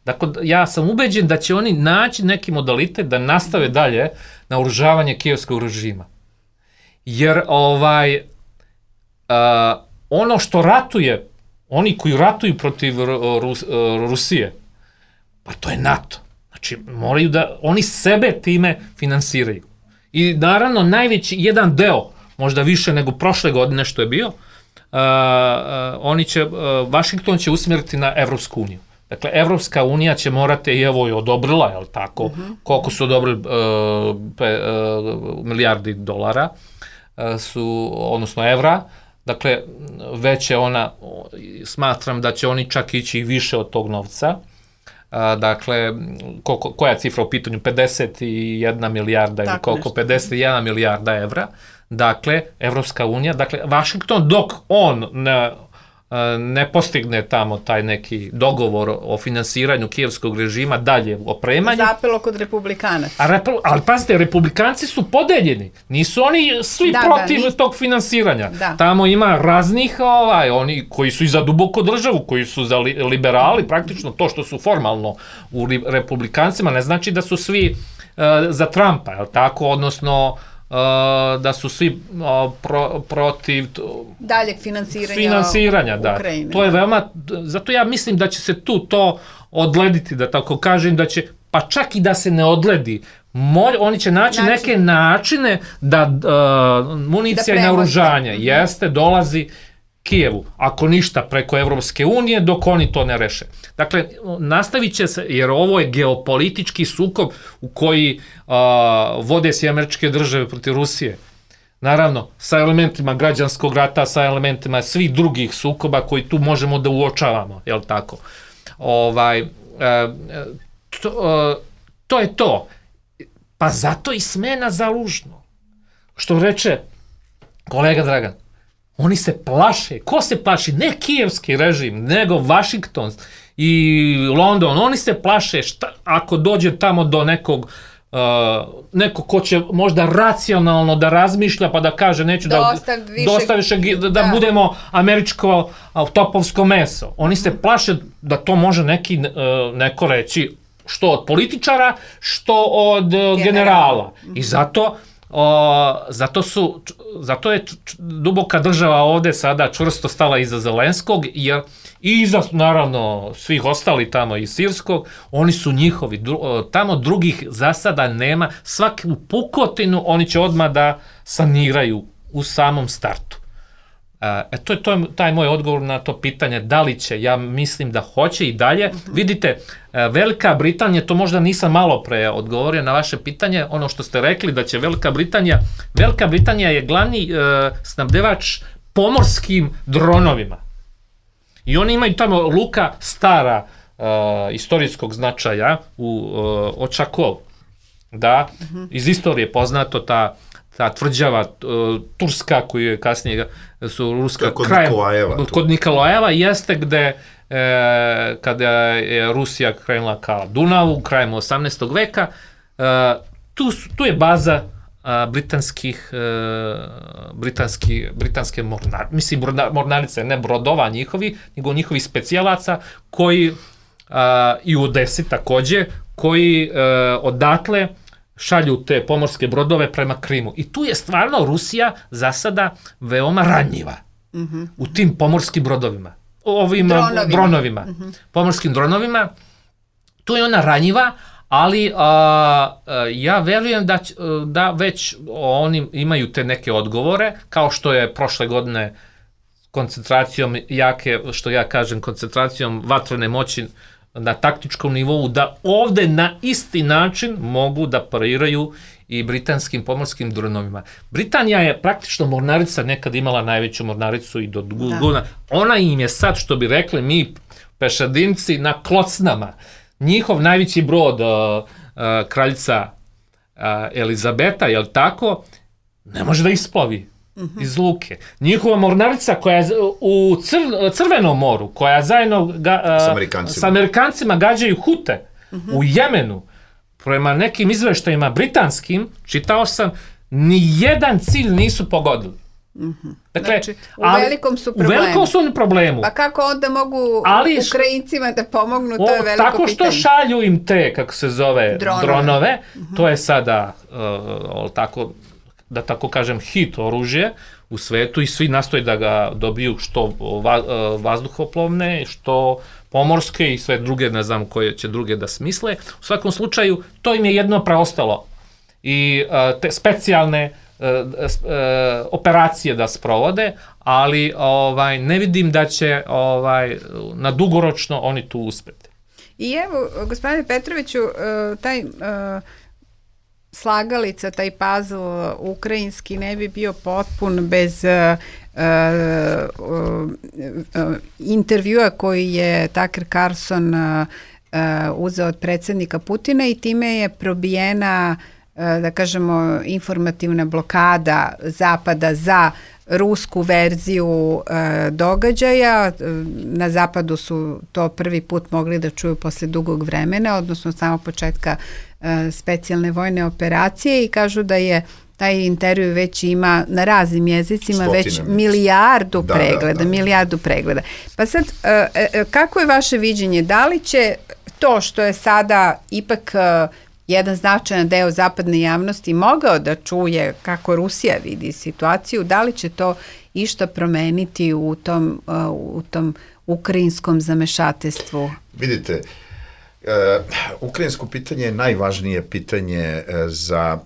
Dakle, ja sam ubeđen da će oni naći neki modalitet da nastave dalje naoružavanje kijevskog režima. Jer ono što ratuje, oni koji ratuju protiv Rusije, pa to je NATO. Znači, moraju da, oni sebe time finansiraju. I naravno, najveći jedan deo, možda više nego prošle godine što je bio, Vašington će usmjeriti na Evropsku uniju. Dakle, Evropska unija će morati, i evo je odobrila, je li tako, koliko su odobrili milijardi dolara, odnosno evra, dakle, već je ona, smatram da će oni čak ići i više od tog novca. Dakle, koja je cifra u pitanju? 51 milijarda ili koliko? 51 milijarda evra. Dakle, Evropska unija, dakle, Vašington, dok on ne postigne tamo taj neki dogovor o finansiranju kijevskog režima, dalje opremanju. Zapelo kod republikanaca. Ali pazite, republikanci su podeljeni. Nisu oni svi protiv tog finansiranja. Tamo ima raznih, oni koji su i za duboku državu, koji su za liberali, praktično to što su formalno u republikancima, ne znači da su svi za Trumpa, je li tako, odnosno da su svi protiv daljeg finansiranja Ukrajine. To je veoma, zato ja mislim da će se tu to odlediti, da tako kažem, da će, pa čak i da se ne odledi, oni će naći neke načine da municija i naoružanje dolazi Kijevu, ako ništa preko Evropske unije, dok oni to ne reše. Dakle, nastavit će se, jer ovo je geopolitički sukob u koji vode se Američke države protiv Rusije. Naravno, sa elementima građanskog rata, sa elementima svih drugih sukoba koji tu možemo da uočavamo, jel tako? To je to. Pa zato i smena Zalužno. Što reče kolega Dragan, oni se plaše. Ko se plaši? Ne kijevski režim, nego Vašington i London. Oni se plaše ako dođe tamo do neko ko će možda racionalno da razmišlja pa da kaže neću da budemo američko topovsko meso. Oni se plaše da to može neko reći što od političara, što od generala. I zato je duboka država ovde sada čvrsto stala iza Zelenskog i iza, naravno, svih ostali tamo iz Sirskog, oni su njihovi, tamo drugih za sada nema, svaku pukotinu oni će odmah da saniraju u samom startu. To je taj moj odgovor na to pitanje, da li će, ja mislim da hoće i dalje. Vidite, Velika Britanija, to možda nisam malo pre odgovorio na vaše pitanje, ono što ste rekli da će Velika Britanija je glavni snabdevač pomorskim dronovima. I oni imaju tamo luka stara istorijskog značaja u Očakov. Da, iz istorije poznato ta tvrđava turska koju je kasnije su ruska kod Nikolajeva jeste gde kada je Rusija krenula ka Dunavu krajem 18. veka, tu je baza britanske mornarice, ne brodova njihovi, nego njihovi specijalaca koji i u Odesi takođe, koji odatle šalju te pomorske brodove prema Krimu. I tu je stvarno Rusija za sada veoma ranjiva u tim pomorskim brodovima. Ovim dronovima. Pomorskim dronovima. Tu je ona ranjiva, ali ja verujem da već oni imaju te neke odgovore, kao što je prošle godine koncentracijom jake, što ja kažem, koncentracijom vatrene moći na taktičkom nivou, da ovde na isti način mogu da pariraju i britanskim pomorskim dronovima. Britanija je praktično mornarica nekad imala najveću mornaricu i do godina. Ona im je sad, što bi rekli mi pešadinci, na klocnama. Njihov najveći brod, kraljica Elizabeta, jel tako, ne može da isplovi iz luke. Njihova mornarica koja je u Crvenom moru, koja zajedno sa Amerikancima gađaju Hute u Jemenu, prema nekim izveštajima britanskim, čitao sam, ni jedan cilj nisu pogodili. Dakle, znači, u velikom su problemu. Pa kako onda mogu Ukrajincima da pomognu, to je veliko pitanje. Tako što šalju im te, kako se zove, dronove, to je sada, da tako kažem, hit oružje u svetu i svi nastoje da ga dobiju što vazduhoplovne, što pomorske i sve druge, ne znam koje će druge da smisle. U svakom slučaju, to im je jedno preostalo. I te specijalne operacije da sprovode, ali ne vidim da će na dugoročno oni tu uspeti. I evo, gospodine Petroviću, taj slagalica, taj puzzle ukrajinski ne bi bio potpun bez intervjua koji je Tucker Carlson uzeo od predsjednika Putina i time je probijena, da kažemo, informativna blokada Zapada za rusku verziju događaja. Na Zapadu su to prvi put mogli da čuju posle dugog vremena, odnosno od samog početka specijalne vojne operacije, i kažu da je taj intervju već ima na raznim jezicima već milijardu pregleda. Pa sad, kako je vaše viđenje? Da li će to što je sada ipak jedan značajan deo zapadne javnosti mogao da čuje kako Rusija vidi situaciju, da li će to išta promeniti u tom ukrajinskom zamešateljstvu? Vidite, ukrajinsko pitanje je najvažnije pitanje za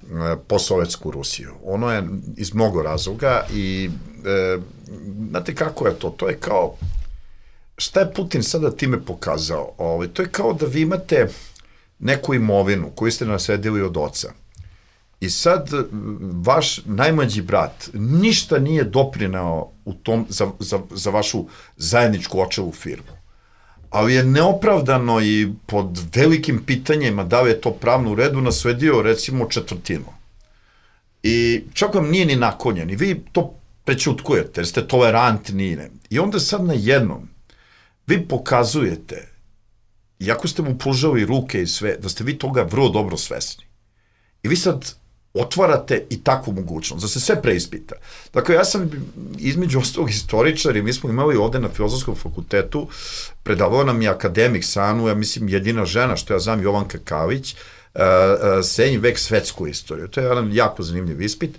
posovjetsku Rusiju. Ono je iz mnogo razloga i znate kako je to? To je kao, šta je Putin sada time pokazao? To je kao da vi imate neku imovinu koju ste nasledili od oca. I sad vaš najmlađi brat ništa nije doprineo u tom za vašu zajedničku očevu firmu. Ali je neopravdano i pod velikim pitanjima da li je to pravno u redu nasledio recimo četvrtinu. I čak vam nije ni naklonjen i vi to prećutkujete jer ste tolerantni. I onda sad na jednom vi pokazujete, iako ste mu pružali ruke i sve, da ste vi toga vrlo dobro svesni. I vi sad otvarate i takvu mogućnost, da se sve preispita. Dakle, ja sam između ostalog istoričar i mi smo imali ovde na Filozofskom fakultetu, predavao nam je akademik Sanu, ja mislim jedina žena što ja znam, Jovanka Kalić, srednji vek svetsku istoriju. To je jedan jako zanimljiv ispit.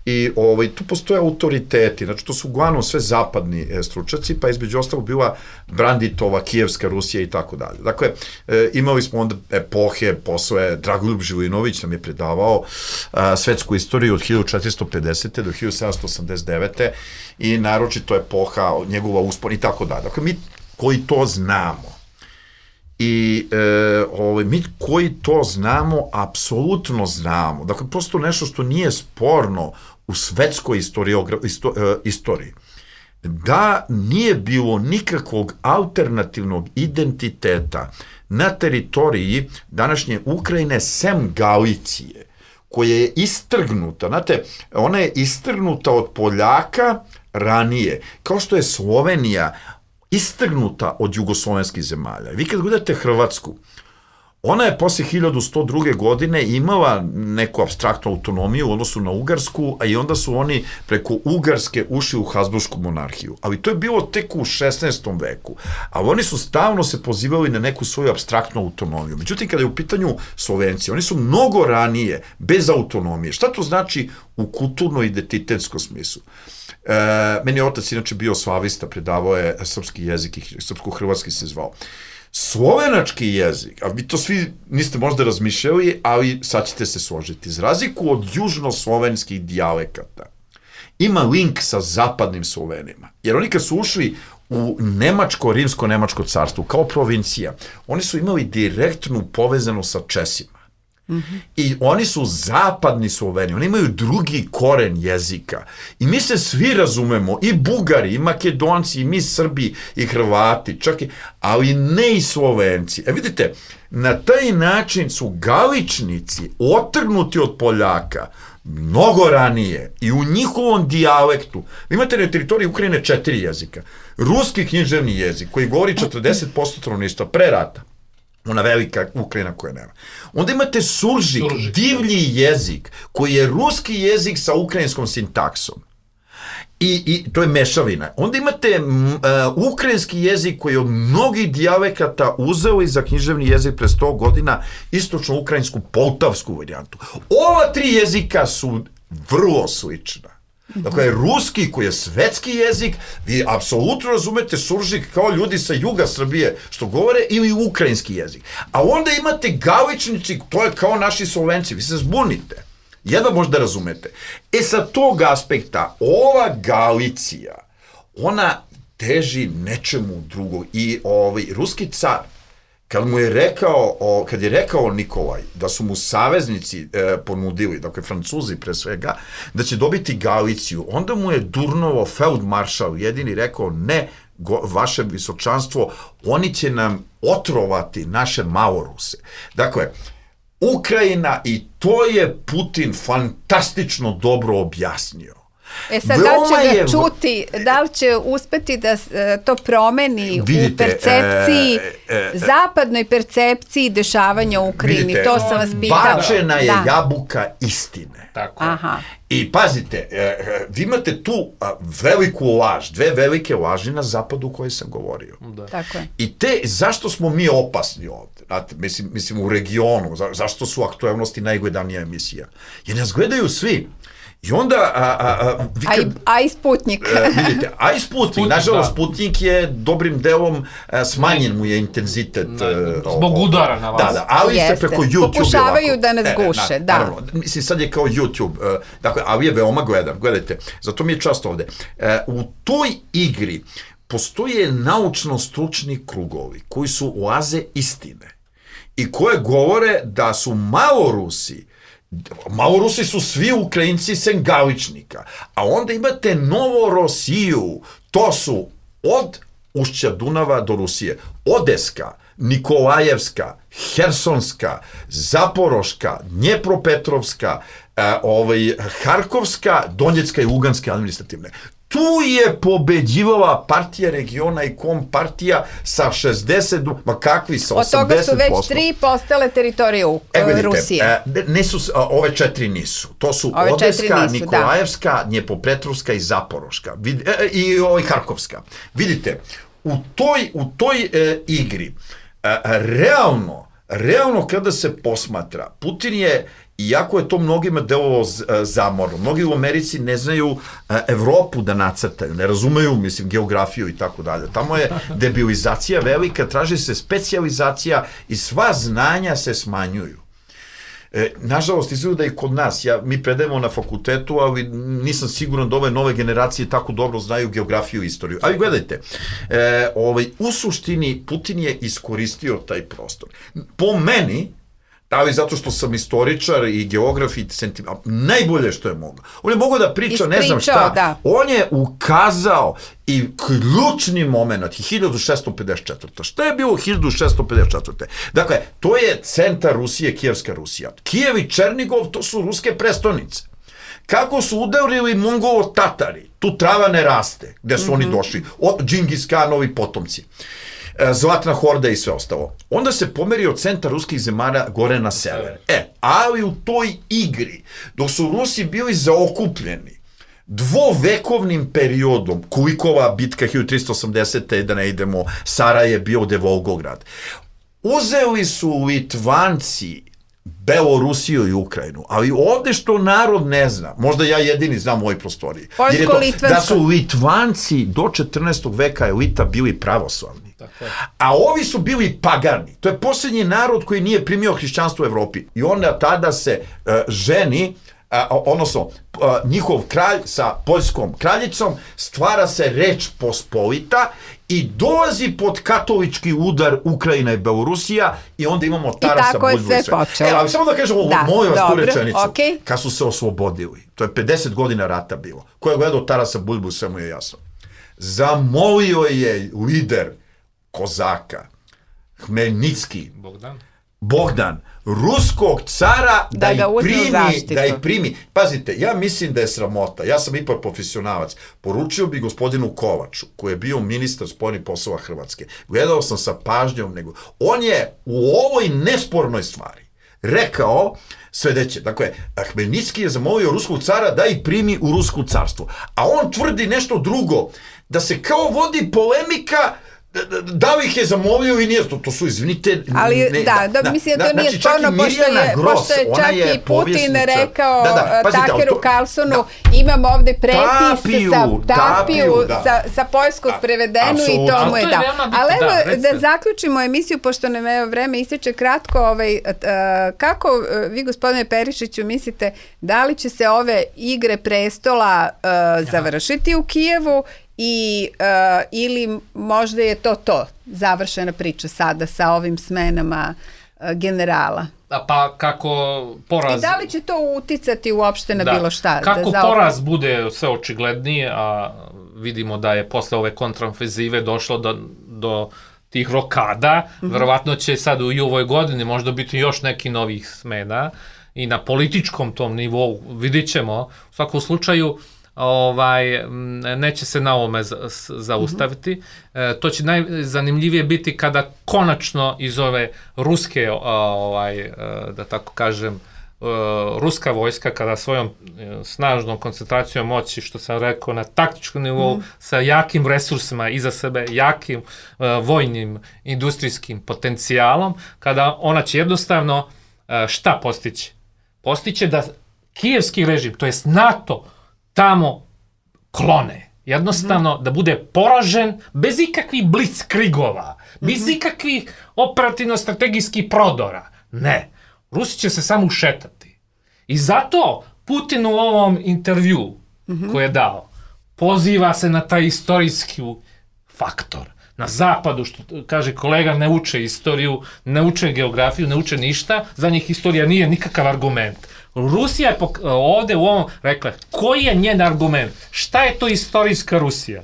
I tu postoje autoriteti, znači to su uglavnom sve zapadni stručnjaci, pa između ostalog bila Branditova, Kijevska Rusija i tako dalje. Dakle, imali smo onda epohe, posle Dragoljub Živinović nam je predavao svetsku istoriju od 1450. do 1789. i naročito epoha, njegova uspon i tako dalje. Dakle, mi koji to znamo, i mi koji to znamo, apsolutno znamo. Dakle, prosto nešto što nije sporno u svetskoj istoriji. Da nije bilo nikakvog alternativnog identiteta na teritoriji današnje Ukrajine sem Galicije, koja je istrgnuta, znate, ona je istrgnuta od Poljaka ranije, kao što je Slovenija istrgnuta od jugoslovenskih zemalja. Vi kad gledate Hrvatsku, ona je posle 1102. godine imala neku apstraktnu autonomiju u odnosu na Ugarsku, a i onda su oni preko Ugarske ušli u Habsburšku monarhiju. Ali to je bilo tek u 16. veku. A oni su stalno se pozivali na neku svoju apstraktnu autonomiju. Međutim, kada je u pitanju Slovenci, oni su mnogo ranije, bez autonomije. Šta to znači u kulturno-identitetskom smislu? Meni je otac inače bio slavista, predavao je srpski jezik i srpsko-hrvatski se zvao. Slovenački jezik, a vi to svi niste možda razmišljali, ali sad ćete se složiti, za razliku od južnoslovenskih dijalekata ima link sa zapadnim Slovenima. Jer oni kad su ušli u rimsko-nemačko carstvo, kao provincija, oni su imali direktnu povezanu sa Česima. I oni su zapadni Sloveni, oni imaju drugi koren jezika. I mi se svi razumemo, i Bugari, i Makedonci, i mi Srbi, i Hrvati, čak i, ali ne i Slovenci. Vidite, na taj način su Galičnici otrgnuti od Poljaka mnogo ranije i u njihovom dijalektu. Vi imate na teritoriji Ukrajine 4 jezika. Ruski književni jezik, koji govori 40% stanovništva pre rata, ona velika Ukrajina koja nema. Onda imate suržik, divlji jezik, koji je ruski jezik sa ukrajinskom sintaksom. I to je mešavina. Onda imate ukrajinski jezik koji je od mnogih dijalekata uzeo i za književni jezik pre 100 godina istočno-ukrajinsku poltavsku varijantu. Ova 3 jezika su vrlo slična. Dakle, ruski koji je svetski jezik, vi apsolutno razumete suržik kao ljudi sa juga Srbije što govore, ili ukrajinski jezik. A onda imate Galičnici, to je kao naši Slovenci, vi se zbunite. Jedva možda razumete. Sa tog aspekta, ova Galicija, ona teži nečemu drugog. I ruski car, kad je rekao Nikolaj da su mu saveznici ponudili, dakle Francuzi pre svega, da će dobiti Galiciju, onda mu je Durnovo feldmaršal jedini rekao ne, vaše visočanstvo, oni će nam otrovati naše Maloruse. Dakle, Ukrajina, i to je Putin fantastično dobro objasnio. Sad, da li će ga čuti, da li će uspeti da to promeni u percepciji, zapadnoj percepciji dešavanja u Ukrajini? Vidite, to sam vas pitala. Bačena je jabuka istine. Tako. I pazite, vi imate tu veliku laž, 2 velike laži na zapadu o kojoj sam govorio. Tako je. I zašto smo mi opasni ovde? Znate, mislim u regionu, zašto su aktuelnosti najgledanija emisija? Jer nas gledaju svi. I onda... A i Sputnik. Vidite, a i Sputnik. Nažalost, Sputnik je dobrim delom smanjen mu je intenzitet. Zbog udara na vas. Da, ali se preko YouTube... Pokušavaju da nas guše, da. Naravno, mislim, sad je kao YouTube, dakle, ali je veoma gledan. Gledajte, zato mi je čast ovde. U toj igri postoje naučno-stručni krugovi koji su oaze istine i koje govore da su Malorusi su svi Ukrajinci sem Galičnika, a onda imate Novorosiju, to su od ušća Dunava do Rusije, Odeska, Nikolajevska, Hersonska, Zaporoška, Dnjepropetrovska, Harkovska, Donjecka i Luganska administrativne. Tu je pobeđivala partija regiona i Kompartija sa 60, ma kakvi sa 80%. Od toga su već 3 postale teritorije Rusije. Ove 4 nisu. To su Odeska, Nikolajevska, Dnjepropetrovska i Zaporoška. I Harkovska. Vidite, u toj igri, realno kada se posmatra, Putin je, iako je to mnogima delovalo zamorno, mnogi u Americi ne znaju Evropu da nacrtaju, ne razumeju, mislim, geografiju i tako dalje. Tamo je debilizacija velika, traži se specijalizacija i sva znanja se smanjuju. Nažalost, izgleda i kod nas, mi predajemo na fakultetu, ali nisam siguran da ove nove generacije tako dobro znaju geografiju i istoriju. Ali gledajte, u suštini Putin je iskoristio taj prostor. Po meni, ali zato što sam istoričar i geograf i najbolje što je mogao. On je mogao da priča ne znam šta. Da. On je ukazao i ključni moment 1654. Šta je bilo 1654. Dakle, to je centar Rusije, Kijevska Rusija. Kijev i Černigov, to su ruske prestonice. Kako su udarili Mongolo-Tatari, tu trava ne raste, gde su oni došli, od Džingis Khanovi potomci. Zlatna horda i sve ostalo. Onda se pomerio centar ruskih zemalja gore na sever. Ali u toj igri, dok su Rusi bili zaokupljeni dvovekovnim periodom, Kulikova bitka 1380. da ne idemo, Saraj je bio gde Volgograd, uzeli su Litvanci Belorusiju i Ukrajinu, ali ovde što narod ne zna, možda ja jedini znam u ovoj prostoriji, da su Litvanci do 14. veka elita bili pravoslavni. A ovi su bili pagani. To je posljednji narod koji nije primio hrišćanstvo u Evropi. I onda tada se ženi odnosno njihov kralj sa poljskom kraljicom, stvara se Reč Pospolita i dolazi pod katolički udar Ukrajina i Belorusija i onda imamo Tarasa Buljusa. I tako je sve počelo. Ali samo da kažem ovo, moju vas tu rečenicu. Okay. Kad su se oslobodili, to je 50 godina rata bilo, ko je gledao Tarasa Buljusa mu je jasno. Zamolio je lider Kozaka, Hmelnicki, Bogdan, ruskog cara da ih primi. Pazite, ja mislim da je sramota, ja sam ipak profesionalac, poručio bi gospodinu Kovaču, koji je bio ministar spoljnih poslova Hrvatske, gledao sam sa pažnjom, on je u ovoj nespornoj stvari rekao sledeće, dakle, Hmelnicki je zamolio ruskog cara da ih primi u rusko carstvo, a on tvrdi nešto drugo, da se kao vodi polemika da li ih je zamolio i nije, to su, izvinite... Ali, mislim da to nije sporno, pošto je čak i Putin rekao Takeru Carlsonu, imam ovde prepis sa poljskog prevedenu i to mu je dao. Ali evo, da zaključimo emisiju, pošto nam vreme ističe kratko, kako vi, gospodine Perišiću, mislite, da li će se ove igre prestola završiti u Kijevu ili možda je to završena priča sada sa ovim smenama generala? Pa kako poraz... I da li će to uticati uopšte na bilo šta? Kako poraz bude sve očiglednije, a vidimo da je posle ove kontraofenzive došlo do tih rokada, verovatno će sad u ovoj godini možda biti još neki novih smena i na političkom tom nivou vidit ćemo. U svakom slučaju neće se na ovome zaustaviti. To će najzanimljivije biti kada konačno iz ove ruske, da tako kažem, ruska vojska, kada svojom snažnom koncentracijom moći, što sam rekao, na taktičkom nivou, sa jakim resursima iza sebe, jakim vojnim, industrijskim potencijalom, kada ona će jednostavno šta postići? Postiće da kijevski režim, to jest NATO, tamo klone. Jednostavno da bude poražen bez ikakvih blitzkrigova, bez ikakvih operativno-strategijskih prodora. Ne. Rusi će se samo ušetati. I zato Putin u ovom intervju koji je dao poziva se na taj istorijski faktor. Na zapadu, što kaže kolega, ne uče istoriju, ne uče geografiju, ne uče ništa, za njih istorija nije nikakav argument. Rusija je ovde u ovom rekla, koji je njen argument? Šta je to istorijska Rusija?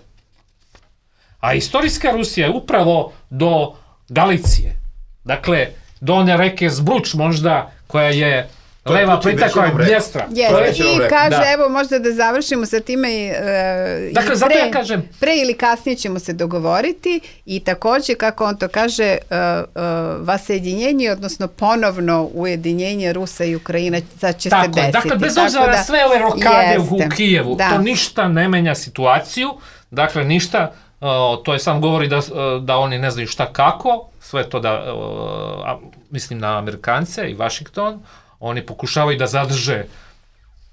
A istorijska Rusija je upravo do Galicije. Dakle, do one reke Zbruč možda, koja je leva plita, koja je Dnjestra. I kaže, evo možda da završimo sa time dakle, zato ja kažem, pre ili kasnije ćemo se dogovoriti i takođe, kako on to kaže, vasedinjenje, odnosno ponovno ujedinjenje Rusa i Ukrajina će se desiti. Dakle, bez obzira na sve ove rokade u Kijevu, to ništa ne menja situaciju, dakle, ništa, to je sam govori da oni ne znaju šta kako, sve to da, mislim na Amerikance i Vašington, oni pokušavaju da zadrže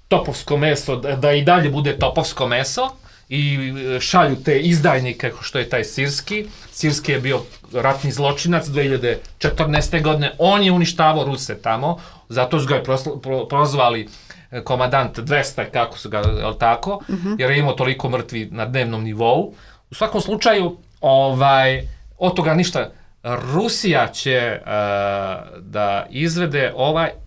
topovsko meso, da i dalje bude topovsko meso i šalju te izdajnike, što je taj Sirski. Sirski je bio ratni zločinac 2014. godine, on je uništavao Ruse tamo, zato su ga prozvali komandant 200, kako su ga, jel tako, jer je imao toliko mrtvi na dnevnom nivou. U svakom slučaju, od toga ništa. Rusija će da izvede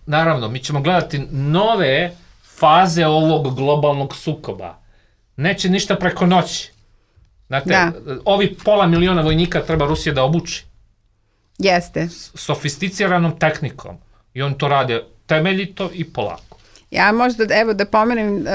naravno, mi ćemo gledati nove faze ovog globalnog sukoba. Neće ništa preko noći. Znate, ovi 500.000 vojnika treba Rusija da obuči. Jeste. Sofisticiranom tehnikom. I on to rade temeljito i polako. Ja možda, evo da pomenem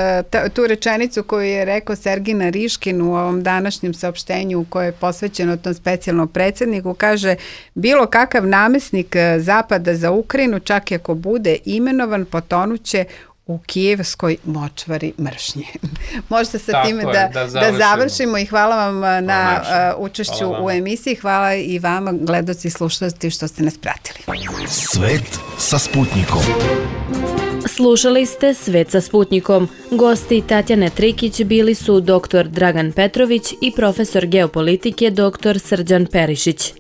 tu rečenicu koju je rekao Sergij Nariškin u ovom današnjem saopštenju koje je posvećeno tom specijalnom predsjedniku, kaže, bilo kakav namesnik Zapada za Ukrajinu, čak i ako bude imenovan, potonuće u kijevskoj močvari mržnje. Možda sa time da završimo i hvala vam na učešću u emisiji. Hvala i vama, gledaoci i slušatelji, što ste nas pratili. Svet sa Sputnikom. Slušali ste Svet sa Sputnikom. Gosti Tatjane Trikić bili su dr. Dragan Petrović i profesor geopolitike dr. Srđan Perišić.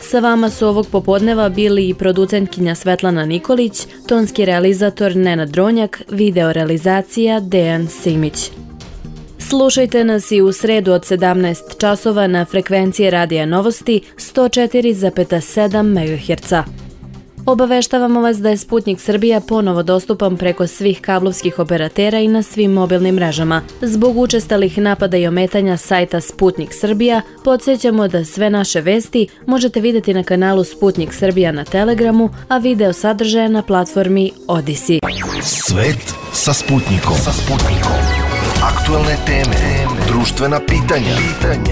Sa vama su ovog popodneva bili i producentkinja Svetlana Nikolić, tonski realizator Nenad Dronjak, video realizacija Dejan Simić. Slušajte nas i u sredu od 17 časova na frekvenciji Radija Novosti 104,7 MHz. Obaveštavamo vas da je Sputnik Srbija ponovo dostupan preko svih kablovskih operatera i na svim mobilnim mrežama. Zbog učestalih napada i ometanja sajta Sputnik Srbija, podsjećamo da sve naše vesti možete vidjeti na kanalu Sputnik Srbija na Telegramu, a video sadržaje na platformi Odisi. Svet sa Sputnikom. Aktualne teme, društvena pitanja,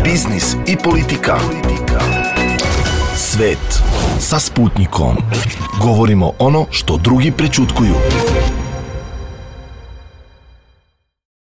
biznis i politika. Svet sa Sputnikom. Govorimo ono što drugi prećutkuju.